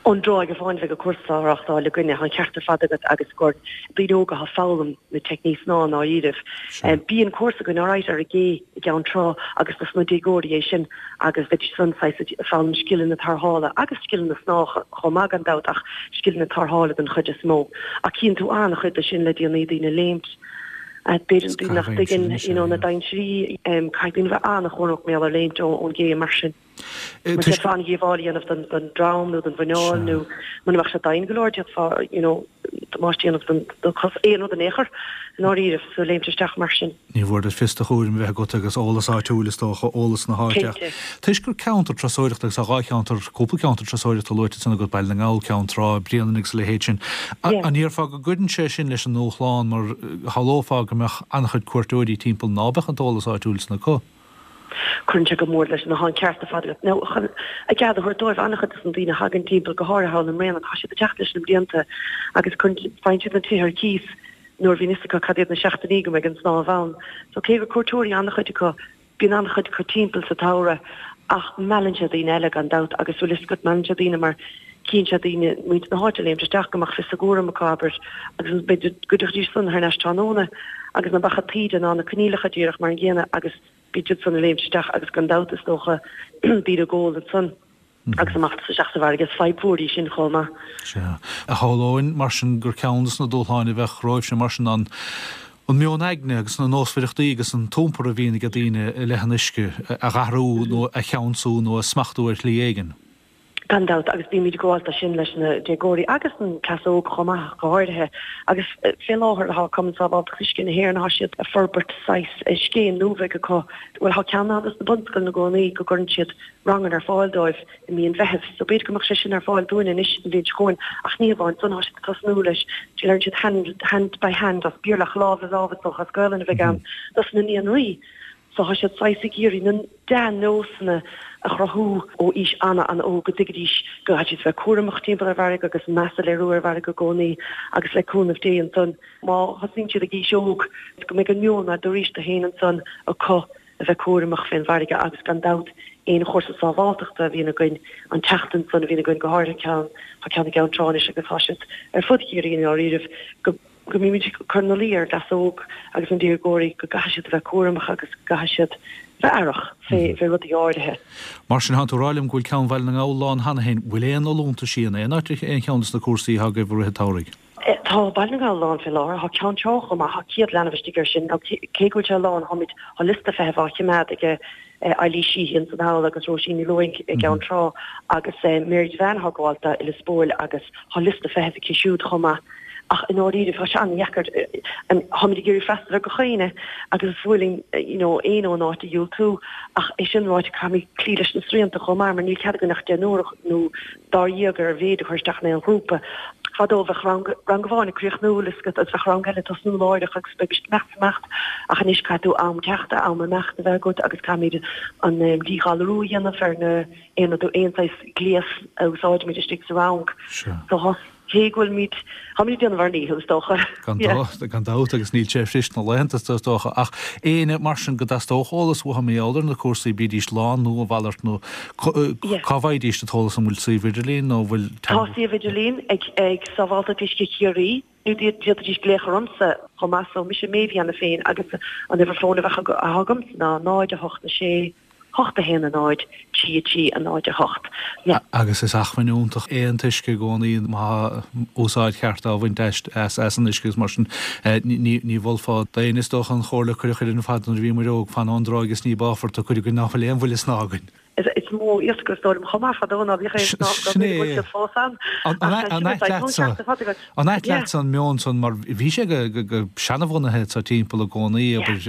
Ón dtráigh amháin a bheidh an cúrsa á reachtáil againne, tá an ceart ar fad agat agus gur daoine óga atá ag foghlaim na teicnící snámha i ndáiríribh. Bíonn cúrsa againn alright ar an gcé i gCeann Trá agus dos na déagóirí é sin agus bheidís san saghas ag foghlaim scileanna tarrthála agus scileanna snámha chomh maith gan dabht ach scileanna tarrthála den chuid is mó. Ach cíonn tú an-chuid de sin le déanaí, daoine ag léimt, b'fhéidir daoine nach dtuigeann you know na dainséirí, caithfidh daoine bheith an-chúramach mar gheall ar léimt ón gcé mar sin. Mar d'fhéadfá an-dhíobháil a dhéanamh don don drom nó don mhuineál nó muna mbeadh sé daingean go leor d'fhéadfá you know damáiste a dhéanamh don do chos, aon rud in aon chor i ndáiríribh so léimt isteach mar sin. Ní mhór duit fios do chúraim a bheith agat agus eolas áitiúil is dócha, eolas na háite ach Cinnte. toisc gur ceantar turasóireachta agus tá dhá cheantar, cúpla ceantar turasóireachta luaite ansan agat, Baile na nGall, Ceann Trá, Bréanainn agus a leithéid sin. Yeah. An ndéarfá go gcuireann sé sin leis an ndúshlán mar shamhlófá go mbeadh an-chuid cuairteoirí timpeall ná beadh an t-eolas áitiúil san acu? Cuireann sé go mór leis an, tá an ceart ar fad agat. Now, chun a gcead a thabhairt dóibh, an-chuid de na daoine a thagann timpeall, go háirithe thall i mBréanainn, tá siad ag teacht leis na blianta agus cuireann, faigheann siad na tithe ar cíos nuair a bhíonn fhios acu cad iad na seachtainí go mbeidh an snámh ann. So cé gur cuairteoirí an-chuid acu, bíonn an-chuid acu timpeall sa tsamhradh ach meallann sé daoine eile gan dabht agus bhfuil fhios agat, meallann sé daoine mar cíonn sé daoine, muintir na háite ag léimt isteach go mbeadh fios a gcúraim acu, abair, agus b'fhéidir go dtiocfaidís san thar n-ais tráthnóna agus ná beadh an taoide ná na coinníollacha díreach mar an gcéanna agus Bíonn siad san ag léimt isteach agus gan dabht is dócha daoine ag ól ansan agus amach isteach sa bhfarraige. Is fadhb mhór í sin chomh maith. Sea. Shamhlóinn mar sin gur ceann de na dúshláin a bheadh romhaibhse mar sin an an meon aigne agus na nósmhaireachtaí agus an t-iompar a bhíonn ag daoine i leith an uisce a dh'athrú nó a cheansú nó a smachtú ar shlí éigin. Gan dabht, agus bímid ag gabháil dó sin leis na déagóirí agus an cleas óg chomh maith, go háirithe. Agus fé láthair tá Cumann Sábháilteachta Uisce na hÉireann, tá siad ag forbairt saghas scéim nua bheag acu, bhuel tá ceann ann dos na bunscoileanna i gcónaí go gcuireann siad ranganna ar fáil dóibh i mí an Mheithimh. So b'fhéidir go mbeadh sé sin ar fáil dúinn anois an bhliain seo chugainn ach ní hamháin san, tá siad ag tosnú leis, deireann siad hand, hand by hand as Béarla ach lámh le lámh is dócha as Gaolainn a bheidh ann dos na naíonraí. So tá siad saghas ag iarraidh na dea-nósanna a chruthú ó aois ana-ana-óg go dtuigfidís go gcaithfidh siad bheith cúramach timpeall ar an bhfarraige agus meas a léiriú ar an bhfarraige i gcónaí agus le cúnamh Dé ansan má thosaíonn siad ag aois óg go mbeidh an meon nádúrtha féin ansan acu a bheith cúramach fén bhfarraige agus gan dabht aon chúrsa sábháltachta a bhíonn againn an tseachtain san a bhíonn againn go háirithe ceann tá ceann i gCeann Trá anois agus tá siad ar fud Chiarraí i ndáiríribh go go mbímid ag cur ina luí ar an gcleas óg agus na déagóirí go gcaithfidh siad a bheith cúramach agus go gcaithfidh siad bheith aireach fé fé rudaí áirithe. Mar sin, tánn tú ag rá liom go bhfuil ceann Bhaile na nGall lán cheana féin. Bhfuil aon fholúntaisí in aon áit aon cheann de na cúrsaí atá agaibh i rith an tsamhraidh? Tá Baile na nGall lán fé láthair. Tá Ceann Trá chomh maith. Tá céad leanbh istigh air sin. Cé go bhfuil sé lán, táimid, tá liosta feithimh á chimeád aige Eilís Sheehy ansan thall agus Róisín Ní Lúing i gCeann Trá agus Mary Devane atá ag gabháil dó i Lios Póil agus tá liosta feithimh aici siúd chomh maith. Ach i ndáiríribh tá sé an-dheacair, táimid ag iarraidh freastal ar gach éinne agus is fuath linn you know éinne ón áit a dhiúltú ach é sin ráite caithfimid cloí leis na srianta chomh maith mar níl cead againn ach deichniúr nó dáréag ar a mhéid a chur isteach in aon ghrúpa. Fadó bheadh rang rang amháin ag críochnú bhfuil fhios agat agus bheadh rang eile ag tosnú láithreach agus bheimist ag imeacht is imeacht ach anois caithfidh tú am teachta, am imeachta a bheith agat agus caithfimid an díghalarú a dhéanamh ar na aon rud aon saghas gléas a úsáidimid istigh sa rang. So tá cé go bhfuilimid, táimid ag déanamh ár ndícheall is dócha. Gan dabht, gan dabht agus níl sé fuirist na laethanta is dócha ach éinne mar sin go dteastódh eolas uathu mar gheall ar na cúrsaí bídís lán nó a mhalairt nó cá bhfaighidís an t-eolas an bhfuil suíomh idirlín nó an bhfuil Tá suíomh idirlín ag ag Sábháilteacht Uisce Chiarraí nó d'fhéadfaidís glaoch ormsa chomh maith so mise Méabh cheana féin agus an uimhir fóin a bheadh agamsa ná náid a hocht a sé hocht a haon a náid trí a trí a náid a hocht. Agus is acmhainn iontach é an t-uisce i gcónaí má tá úsáid cheart á bhaint as as an uisce agus mar sin ní ní mholfá d'éinne is dócha an chomhairle a cuireadh orainn ar fad nuair a bhíomar óg, fan ón dtráigh is ní báfar tú, cuid againn ná fuil aon bhuille snámha againn. Is mó iasc is dóigh liom chomh maith fadó ná bhíodh aon snámh go bhfuil siad fós ann. An ait leatsa An ait leatsa an meon san mar bhí sé go seanabhunaithe sa timpeall i gcónaí abair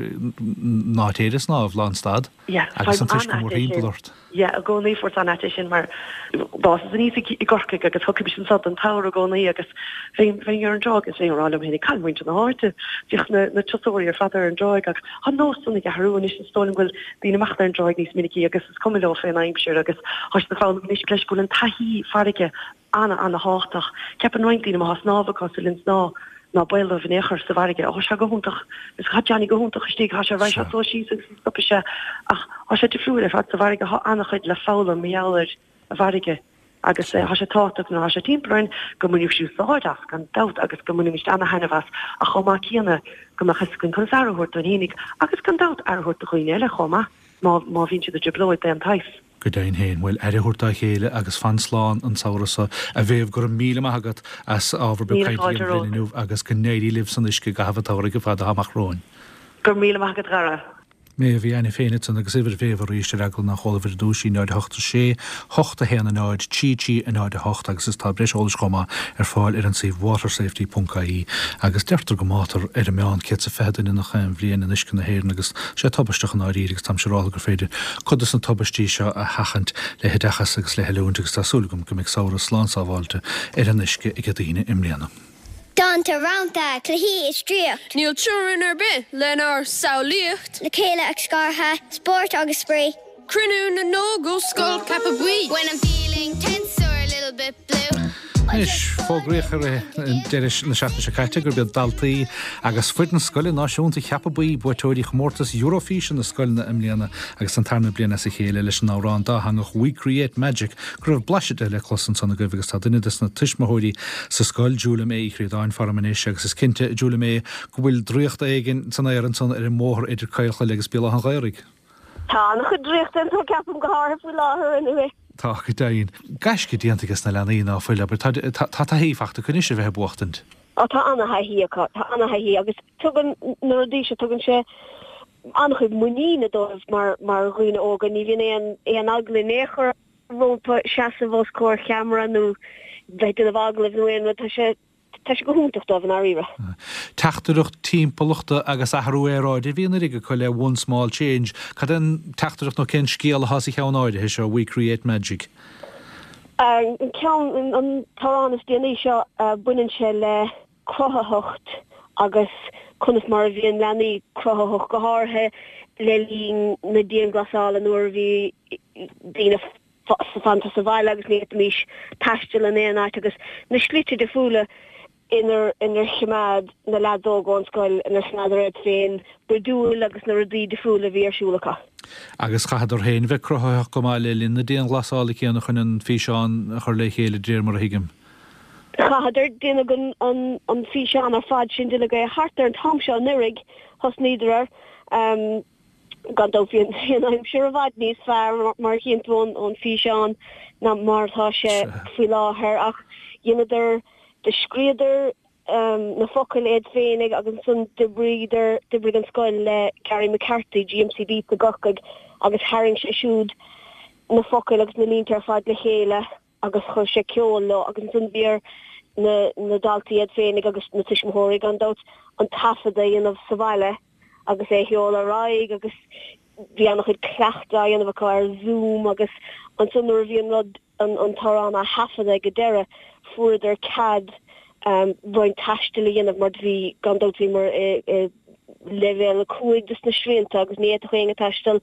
ná téir ag snámh lánstad agus an t-uisce mórthimpeall ort. Yeah, i gcónaí fuaireas an-ait é sin mar d'fhásas aníos i gCorcaigh agus thiocfaimis anso don tsamhradh i gcónaí agus bheinn bheinn ar an dtráigh agus bheinn ag rá liom féin cá bhfuil muintir na háite, bhíodh na na turasóirí ar fad ar an dtráigh ach tá an nós san ag athrú anois is dóigh liom go bhfuil daoine amach ar an dtráigh níos minicí agus is cuma leo fén aimsir agus tá siad ag foghlaim anois leis go bhfuil an taithí farraige ana ana thábhachtach. Ceapann roinnt daoine má tá snámh acu sa linn snámh ná baol dóibh in aon chor sa bhfarraige. Ó, tá sé go hiontach, is tá Johnny go hiontach istigh, tá sé raghaidh sé suas síos agus ní stopfaidh sé ach tá sé difriúil ar fad sa bhfarraige, tá an-chuid le foghlaim mar gheall ar an bhfarraige agus tá sé tábhachtach nuair atá sé timpeall orainn go mbainfimís úsáid as gan dabht agus go mbainfimís ana-thaitneamh as ach chomh maith céanna go mbeadh fhios againn conas aire a thabhairt dúinn fhéinig agus gan dabht aire a thabhairt do dhaoine eile chomh maith má má bhíonn siad i dtrioblóid d'aon tsaghas. Go deimhin féin, bhuel, aire a thabhairt dá chéile agus fan slán an samhradh seo. A Mhéabh, go raibh míle maith agat as ábhar beag Míle cainte a fáilte dhéanamh linn romhat. inniu agus go n-éirí libh san uisce i gcaitheamh an tsamhraidh ar fad atá amach romhainn. Go raibh míle maith agat, a Dhara. Méabh Uí Ainiféin ansan agus uimhir Mhéabh arís ar eagla nach eol daoibh ar dtús í náid a hocht a sé, hocht a haon a náid, trí trí a náid a hocht agus is tá breis eolais chomh maith ar fáil ar an suíomh watersafety ponc ie agus deirtear go mbáitear ar an meán céad 's a fiche duine nach aon bhliain in uisce na hÉireann agus sé tubaisteach i ndáiríre agus táimse ag rá gur féidir cuid de na tubaistí seo a sheachaint le hoideachas agus le hoiliúint agus tá súil agam go mbeidh samhradh slán sábháilte ar an uisce ag daoine i mbliana. Dánta, rannta, cluichí is draíocht. Níl teorainn ar bith lenár samhlaíocht. Le chéile ach scartha, spórt agus spraoi. Cruinniú na nÓg ó Scoil Ceapadh Buí. When I'm feeling tense or a little bit blue. Anois, fógraíodh ar deireadh na seachtaine seo caite gurb iad daltaí agus foireann scoile náisiúnta Cheapadh Buí buaiteoirí chomórtas Eurofíse na scoileanna i mbliana agus an tarna bliain as a chéile leis an amhrán dátheangach We Create Magic go raibh blaiseadh de le clos ansan agaibh agus tá duine de na tuismitheoirí sa scoil Julia May Uí Chríodáin faram anois agus is cinnte Julia May go bhfuil draíocht éigin san aer ansan ar an mbóthar idir Caolchoill agus Béal Átha an Ghaorthaidh. Tá an-chuid draíochta anso ceapaim go háirithe faoi láthair anyway. Tá go deimhin. Gaisce déanta ag na leanaí ná fuil, aber tá tá taithí faighte acu anois a bheith ag buachtaint. Á tá ana-thaithí acu, tá ana-thaithí agus tugann na rudaí seo tugann sé an-chuid muiníne dóibh mar mar dhaoine óga, ní bhíonn aon aon eagla in aon chor rompu seasamh os comhair cheamara nó bheith ag déanamh agallaimh nó aon rud, tá sé tá sé go hiontach dóibh i ndáiríre. Teachtaireacht timpeallachta agus athrú aeráide a bhí anuraidh acu le One Small Change. Cad é an teachtaireacht nó cén scéal atá sa cheann áirithe seo We Create Magic? An ceann an t-amhrán is déanaí seo baineann sé le cruthaitheacht agus conas mar a bhíonn leanaí cruthaitheach go háirithe le linn na dianghlasála nuair a bhí daoine fanta sa bhaile agus ní fhéadfaimis taisteal in aon áit agus na slite difriúla inar inar choimeád na leaids óga ón scoil inar choimeádar iad féin bródúil agus na rudaí difriúla a bhí ar siúl acu. Agus chaitheadar féin bheith cruthaitheach go maith le linn na dianghlasála céanna chun an físeán a chur le chéile de réir mar a thuigim. Chaitheadar déanadh an an an físeán ar fad sin déanadh é thart ar an t-am seo anuraidh thosnaíodar air um, gan dabht bhí an aimsir i bhfad níos fearr mar a chíonn tú ón ón físeán ná mar atá sé faoi láthair ach dheineadar do scríodar um, na focail iad féinig agus ansan d'oibríodar d'oibrigh an scoil le Gary McCarthy GMC Beats i gCorcaigh agus tharraing sé siúd na focail agus na línte ar fad le chéile agus chuir sé ceol leo agus ansan bhí ar na na daltaí iad féinig agus na tuismitheoirí gan dabht an taifead a dhéanamh sa bhaile agus é a sheoladh ar aghaidh agus bhí an-chuid cleachtadh á dhéanamh acu ar Zoom agus ansan nuair a bhí an rud an an t-amhrán á thaifeadadh ag an deireadh fuaireadar cead um, roinnt taistil a dhéanamh mar bhí gan dabht bhíomar i, i leibhéal a cúig de na srianta agus ní fhéadfadh éinne taisteal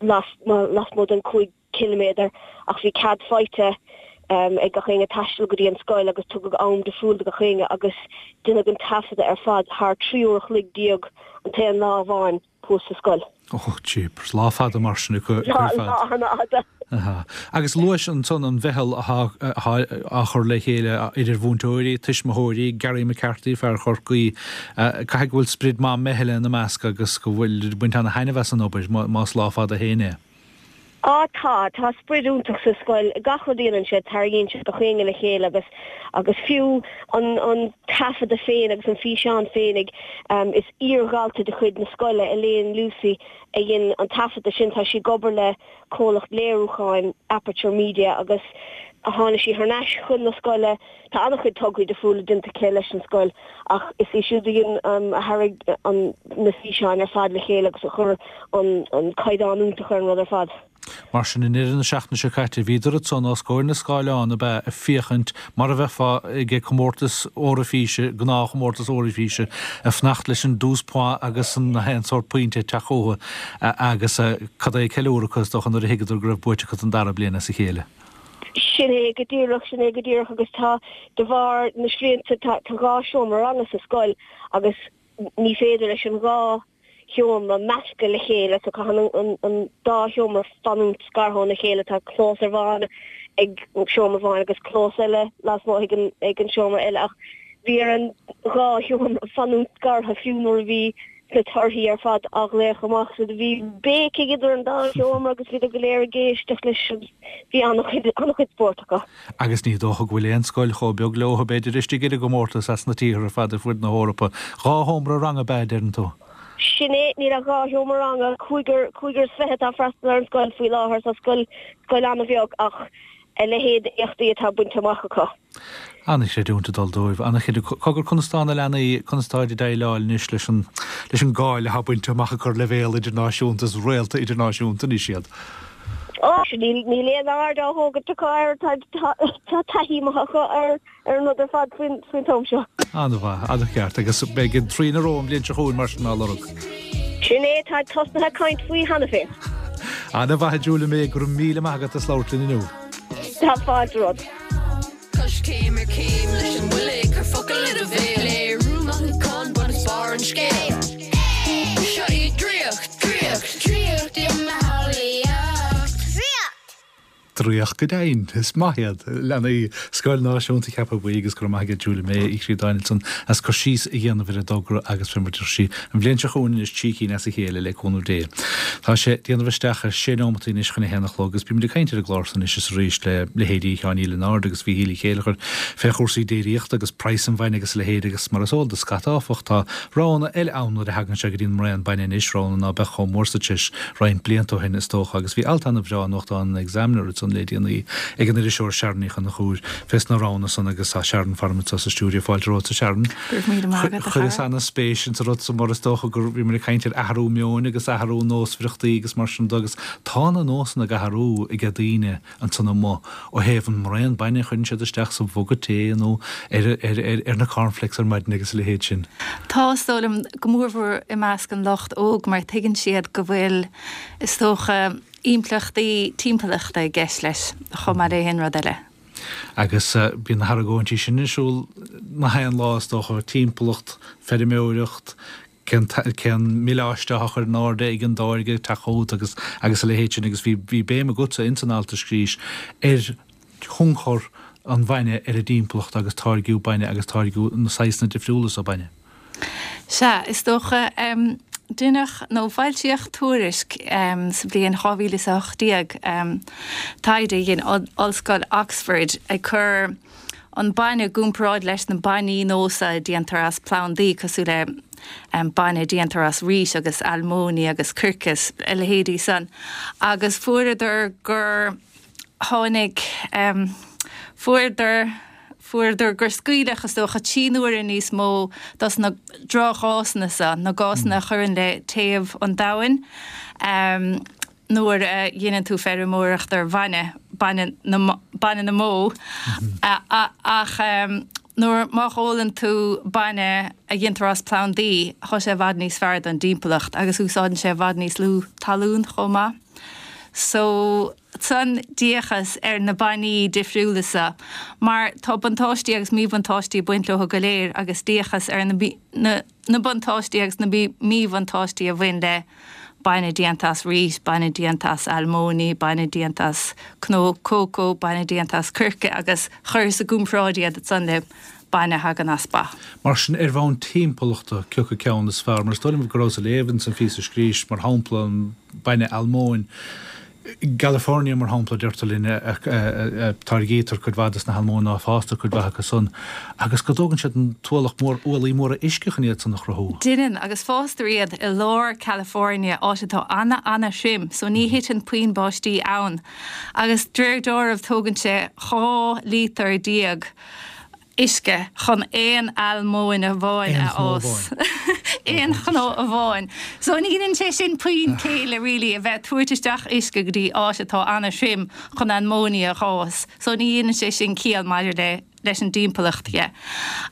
las, lasmuigh den cúig ciliméadar ach bhí cead faighte um, ag gach éinne taisteal go dtí an scoil agus tugadh am difriúil do gach éinne agus deineadh an taifeadadh ar fad thar trí uair a chloig déag an t-aon lá amháin thuas sa scoil. Oh, jeepers, lá fada mar sin acu Lá ar fad. lá an-fhada. Aha. Agus luais ansan an mheitheal á chur le chéile idir mhúinteoirí, tuismitheoirí, Gary McCarthy fear Chorcaí, caithfidh go bhfuil sprid maith meithle ina measc agus go bhfuil baint ana-thaitneamh as an obair más lá fada féin é. Á tá tá sprid iontach sa scoil gach rud a dhéanann siad tarraingíonn siad gach éinne le chéile agus agus fiú an an taifeadadh féin agus an físeán féinig um, is iardhalta de chuid na scoile Elaine Lucy a dhein an taifeadadh sin tá sí ag obair le comhlacht léiriúcháin Aperture Media agus a tháinig sí thar n-ais chun na scoile tá an-chuid tograí difriúla déanta aici leis an scoil ach is í siúd a dhein um, a tharraing an na físeáin ar fad le chéile agus a chuir an an caighdeán iontach ar an rud ar fad. Mar sin i ndeireadh na seachtaine seo caite bhíodar ansan os comhair na scáileán ab ea ag féachaint mar a bheifeá ag comórtas Eoraifíse, gnáthchomórtas Eoraifíse, ag fanacht leis an douze points agus an haon sórt pointe ag teacht chucu agus cad é ceiliúradh acu is dócha nuair a thuigeadar go raibh buaite acu don dara bliain as a chéile. Sin é go díreach, sin é go díreach agus tá de bharr na srianta tá dhá seomra ranga sa scoil agus ní féidir leis an dhá sheomra meascadh le chéile so caitheann an dá sheomra fanúint scartha óna chéile tá clós amháin ag seomra amháin agus clós eile lasmuigh ag an ag an seomra eile ach bhí ar an dhá sheomra fanúint scartha fiú nuair a bhí na torthaí ar fad á nglaoch amach so bhí béicigh idir an dá sheomra agus bhíodar go léir ag éisteacht leis agus bhí an-chuid an-chuid spóirt acu. Agus ní dócha go bhfuil aon scoil chomh beag leo b'fhéidir istigh ar an gcomórtas as na tíortha ar fad ar fud na hEorpa. Dhá sheomra ranga ab ea, a deireann tú? Sin é, níl ach dhá sheomra ranga, cúigear cúigear is fiche atá ag freastal ar an scoil faoi láthair so scoil scoil an-bheag ach a leithéid éachtaí atá bainte amach acu. An-chreidiúint ag dul dóibh. An-chreidiúint. Cogar, conas tá na leanaí, conas táid ag déileáil anois leis an, leis an gcáil atá bainte amach acu ar leibhéal idirnáisiúnta, is réalta idirnáisiúnta anois iad? Ó, sea, níl, níl aon aird á thógaint acu air, tá, tá, tá taithí maith acu ar, ar an rud ar fad faoin, faoin t-am seo. An-mhaith, an-cheart. Agus beidh an trí ina ró an bhliain seo chugainn mar sin á lorg. Sin é, táid tosnaithe ag caint faoi cheana féin. An-mhaith a Julia May, go raibh míle maith agat as labhairt linn inniu. Tá fáilte romhat. Coiscéim ar chéim leis an bhuile, cuir focal i do bhéal, léiriú mothúchán bun is barr an scéil. Seo í draíocht, draíocht, draíocht i mo shamhlaíocht. Draíocht! Draíocht go deimhin. Is maith iad leanaí Scoil Náisiúnta Cheaptha Buí agus go raibh maith aige Julia May Uí Chríodáin ansan as cur síos a dhéanamh ar an dtogra agus fé mar deir sí an bhliain seo chugainn anois trí cinn as a chéile le cúnamh Dé. Tá sé ag déanamh isteach ar sé neomataí anois chun a haon a chlog agus bímid ag caint ar an gclár so anois is arís le leithéidí Sheáin Uí Lionáird agus Mhíchíl Uí Chéilleachair fé chúrsaí déiríochta agus praghas an bhainne agus a leithéid agus mar is eol do scata áfach tá roghanna eile ann nuair a thagann sé go dtí an mbraon bainne anois, roghanna ná beadh chomh mór sa treis roinnt blianta ó shin is dócha agus bhí alt ana-bhreá i nuachtán an Examiner ansan le déanaí ag an iriseoir Sharon Ní Chonchúir fés na roghanna san agus tá Sharon faram anseo sa stiúideo. Fáilte romhat a Sharon. Go raibh míle maith agat, a chara. Chuireas ana-spéis insa rud so mar is dócha gur bhí muid ag caint ar athrú meoin agus athrú nósmhaireachtaí agus mar sin de agus tá na nósanna ag athrú aige daoine ansan amuigh ó thaobh an mbraon bainne a chuireann siad isteach sa mhuga tae nó ar ar ar ar na cornflakes ar maidin agus a leithéid sin. Tá, is dóigh liom, go mórmhór i measc an lucht óg mar tuigeann siad go bhfuil, is dócha, impleachtaí timpeallachta i gceist leis chomh maith le haon rud eile. Agus bíonn na hargóintí sin ar siúl na haon lá is dócha, timpeallacht, feirmeoireacht, cén cén míleáiste atá á chur in airde ag an dtáirge ag teacht chugat agus agus a leithéid sin agus bhí bhí béim agatsa ins an alt a scrís ar thionchar an bhainne ar an dtimpeallacht agus táirgiú bainne agus táirgiú na saghsanna difriúla so bainne. Sea, is dócha. Deineadh, nó foilsíodh tuairisc sa bhliain dhá mhíle is a hocht déag, taighde a dhein Ollscoil Oxford ag cur an bainne i gcomparáid leis na bainní nósa a déantar as plandaí cosúil le bainne a déantar as rís agus almóinní agus coirce is a leithéidí san agus fuaireadar gur tháinig, fuaireadar. Fuaireadar gur scaoileadh, is dócha, trí n-uaire níos mó dos na drochghásanna seo, na gásanna a chuireann le téamh an domhain, nuair a dheineann tú feirmeoireacht ar bhainne, bainne na, bainne na mbó. Ach nuair, má ólann tú bainne a dhéantar as plandaí, tá sé i bhfad níos fearr don dtimpeallacht agus úsáideann sé i bhfad níos lú talún chomh maith. So. Ansan d'fhéachas ar na bainní difriúla seo mar tá buntáistí agus míbhuntáistí ag baint leo go léir agus d'fhéachas ar na na buntáistí agus na míbhuntáistí a bhain le bainne déanta as rís, bainne déanta as almóinní, bainne déanta as cnó cócó, bainne déanta as coirce agus chuireas i gcomparáid iad ansan le bainne a thagann as ba. Mar sin, ar bhonn timpeallachta, cé acu ceann is fearr? Mar is dóigh liom go rabhas ag léamh ins an phíosa a scrís, mar shampla, an bainne almóinn, I gCalifornia, mar shampla, deirtear linn, a táirgítear cuid mhaith des na halmóin nó a fástar cuid mhaith acu san, agus go dtógann siad an t-ualach mór, ualaí móra uisce chun iad san a chruthú. Deineann, agus fástar iad i lár California, áit atá ana-ana-thrim, so ní thiteann puinn báistí ann. Agus de réir dealraimh tógann sé dhá lítear déag uisce chun aon almóinn amháin a fhás. Aon chnó amháin. So ní dhéanann sé sin puinn céille really a bheith tabhairt isteach uisce go dtí áit atá an-tirim chun almóinní a fhás. So ní dhéanann sé sin ciall maidir le leis an dtimpeallacht dhe.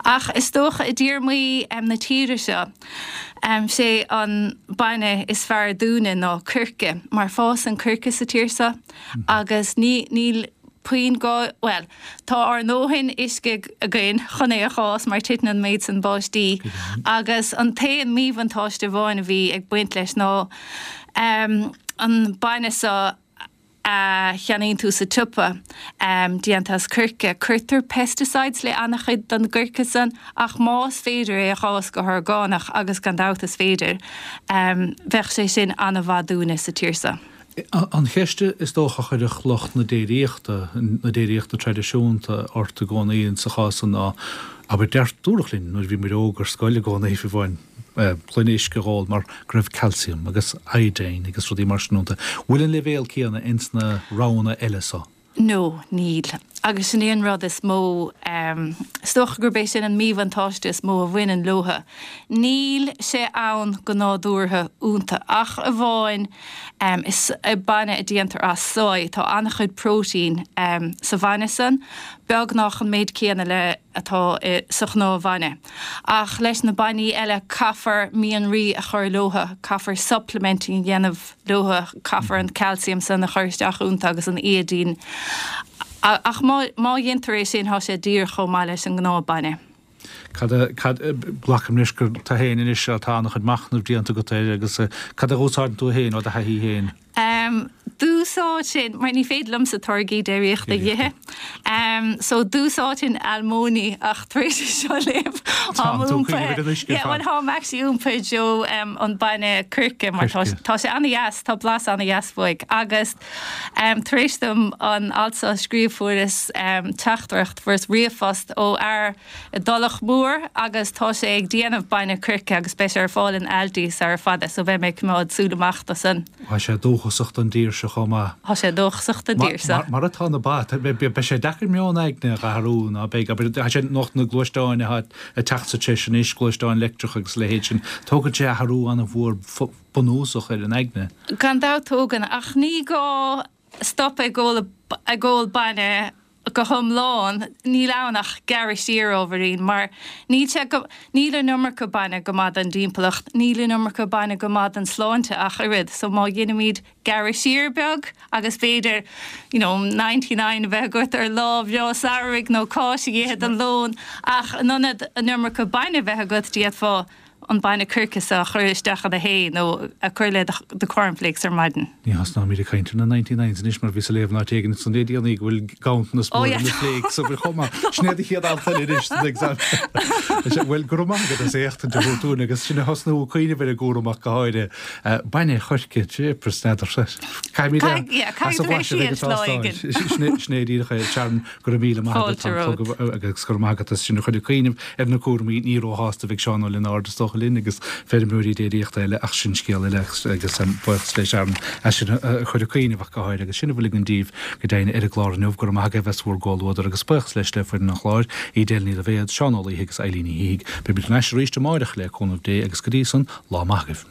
Ach is dócha i dtéarmaí um, na tíre seo, um, sé an bainne is fearr dúinne ná coirce, mar fásann coirce sa tír seo agus ní níl puinn gá bhuel, tá ár ndóthain uisce againn chun é a fhás mar titeann an méid san báistí agus an t-aon míbhuntáiste amháin a bhí ag baint leis ná um, an bainne seo a cheannaíonn tú sa tsiopa um, déanta as coirce. Cuirtear pesticides le an-chuid den gcoirce san ach más féidir é a fhás go horgánach agus gan dabht is féidir, um, bheadh sé sin an-mhaith dúinne sa tír seo. An cheist is dócha a chuirfeadh lucht na déiríochta, na déiríochta traidisiúnta ort i gcónaí sa chás san ná, abair, deir, dúradh linn nuair a bhí muid óg ar scoil i gcónaí fiú amháin, gloine uisce a dh'ól mar go raibh calcium agus iodine agus rudaí mar sin iontu. Bhfuil an leibhéal céanna ins na roghanna eile so? No, níl. Agus sin é an rud is mó, is dócha gurb é sin an míbhuntáiste is mó a bhaineann leotha. Níl sé ann go nádúrtha iontu ach amháin is bainne a déantar as soy. Tá an-chuid próitéin sa bhainne san, beagnach an méid céanna le atá sa ghnáthbhainne. Ach leis na bainní eile caithfear mianraí a chur leotha, caithfear supplementing a dhéanamh leotha, caithfear an calcium san a chur isteach iontu agus an iodine. Ach má má dhéantar é sin tá sé díreach chomh maith leis an ngnáthbhainne. Cad a, cad, glacaim leis gur tú féin anois atá an-chuid machnaimh déanta agat air agus cad a úsáideann tú féin ó do thaithí féin? Um, D'úsáidfinn, mar ní féidir liomsa táirgí déiríochta a dh'ithe. Um, so d'úsáidfinn almóinní ach tar éis seo léamh Tá tú cuimhneamh ar an uisce Yeah, well, táim actually iompaithe i dtreo um, an bainne coirce mar tá, tá sé an-dheas, tá blas an-dheas uaidh agus um, tar éis dom an alt seo a scríobh fuaireas um, teachtaireacht fuaireas ríomhphost ó fhear i dTulach Mhór agus tá sé ag déanamh bainne coirce agus beidh sé ar fáil in Aldi sar fada so beidh mé ag coimeád súil amach do san. Tá sé dóchasach don dtír seo chomh maith. Tá sé dóchasach don dtír seo. Mar atá na ba, beidh sé deacair meon aigne a athrú ná beidh, tá sé lucht na gluaisteáin atá ag teacht sa treis anois, gluaisteáin leictreach agus a leithéid sin, tógann sé athrú an-mhór bunúsach ar an aigne. Gan dabht tógann, ach ní gá stop ag ól ag ól bainne go hiomlán, níl ann ach gearradh siar ábhairín, mar níl sé go, níl an iomarca bainne go maith don dtimpeallacht, níl an iomarca bainne go maith don sláinte ach oiread, so má dheinimid gearradh siar beag agus b'fhéidir you know ninety nine a bheith agat ar lá breá samhraidh nó cáis a dh'ithe don lón ach in ionad an iomarca bainne a bheith agat d'fhéadfá an bainne coirce seo a chur isteach ina thae nó a chur le do cornflakes ar maidin. Ní thosnóimid ag caint ar na ninety nines anois mar bhíos ag léamh in áit éigin san le déanaí go bhfuil ganntanas mór ar na flakes a bhfuil chomh maith. Sin é do chéad alt eile anois don exam. Bhuel, go raibh maith agat as éachtaint a thabhairt dúinn agus sinn a thosnú ag cuimhneamh ar an gcúram ach go háirithe. Bainne choirce, jeepers, n'fheadar. Caithfimid é as a bhlaiseadh ag an tástáil. Sin é díreach é, Sharon, go raibh míle maith agat, Fáilte romhat. agus go raibh maith agat as sinn a chur ag cuimhneamh ar na cúraimí. Ní róshásta a bheidh Seán Ó Lionáird is dócha linn agus feirmeoirí déiríochta eile ach sin scéal eile agus buíochas le Sharon as sinn a chur ag cuimhneamh ach go háirithe agus sin a bhfuil againn daoibh go deimhin ar an gclár inniu. Go raibh maith agaibh as bhur gcomhluadar agus buíochas leis le foireann an chláir, Edel Ní Loibhéad, Seán Ó Laoithe agus Eileen Ní Shíthigh. Beimid ar ais arís amáireach le cúnamh Dé agus go dtí san, lá maith agaibh.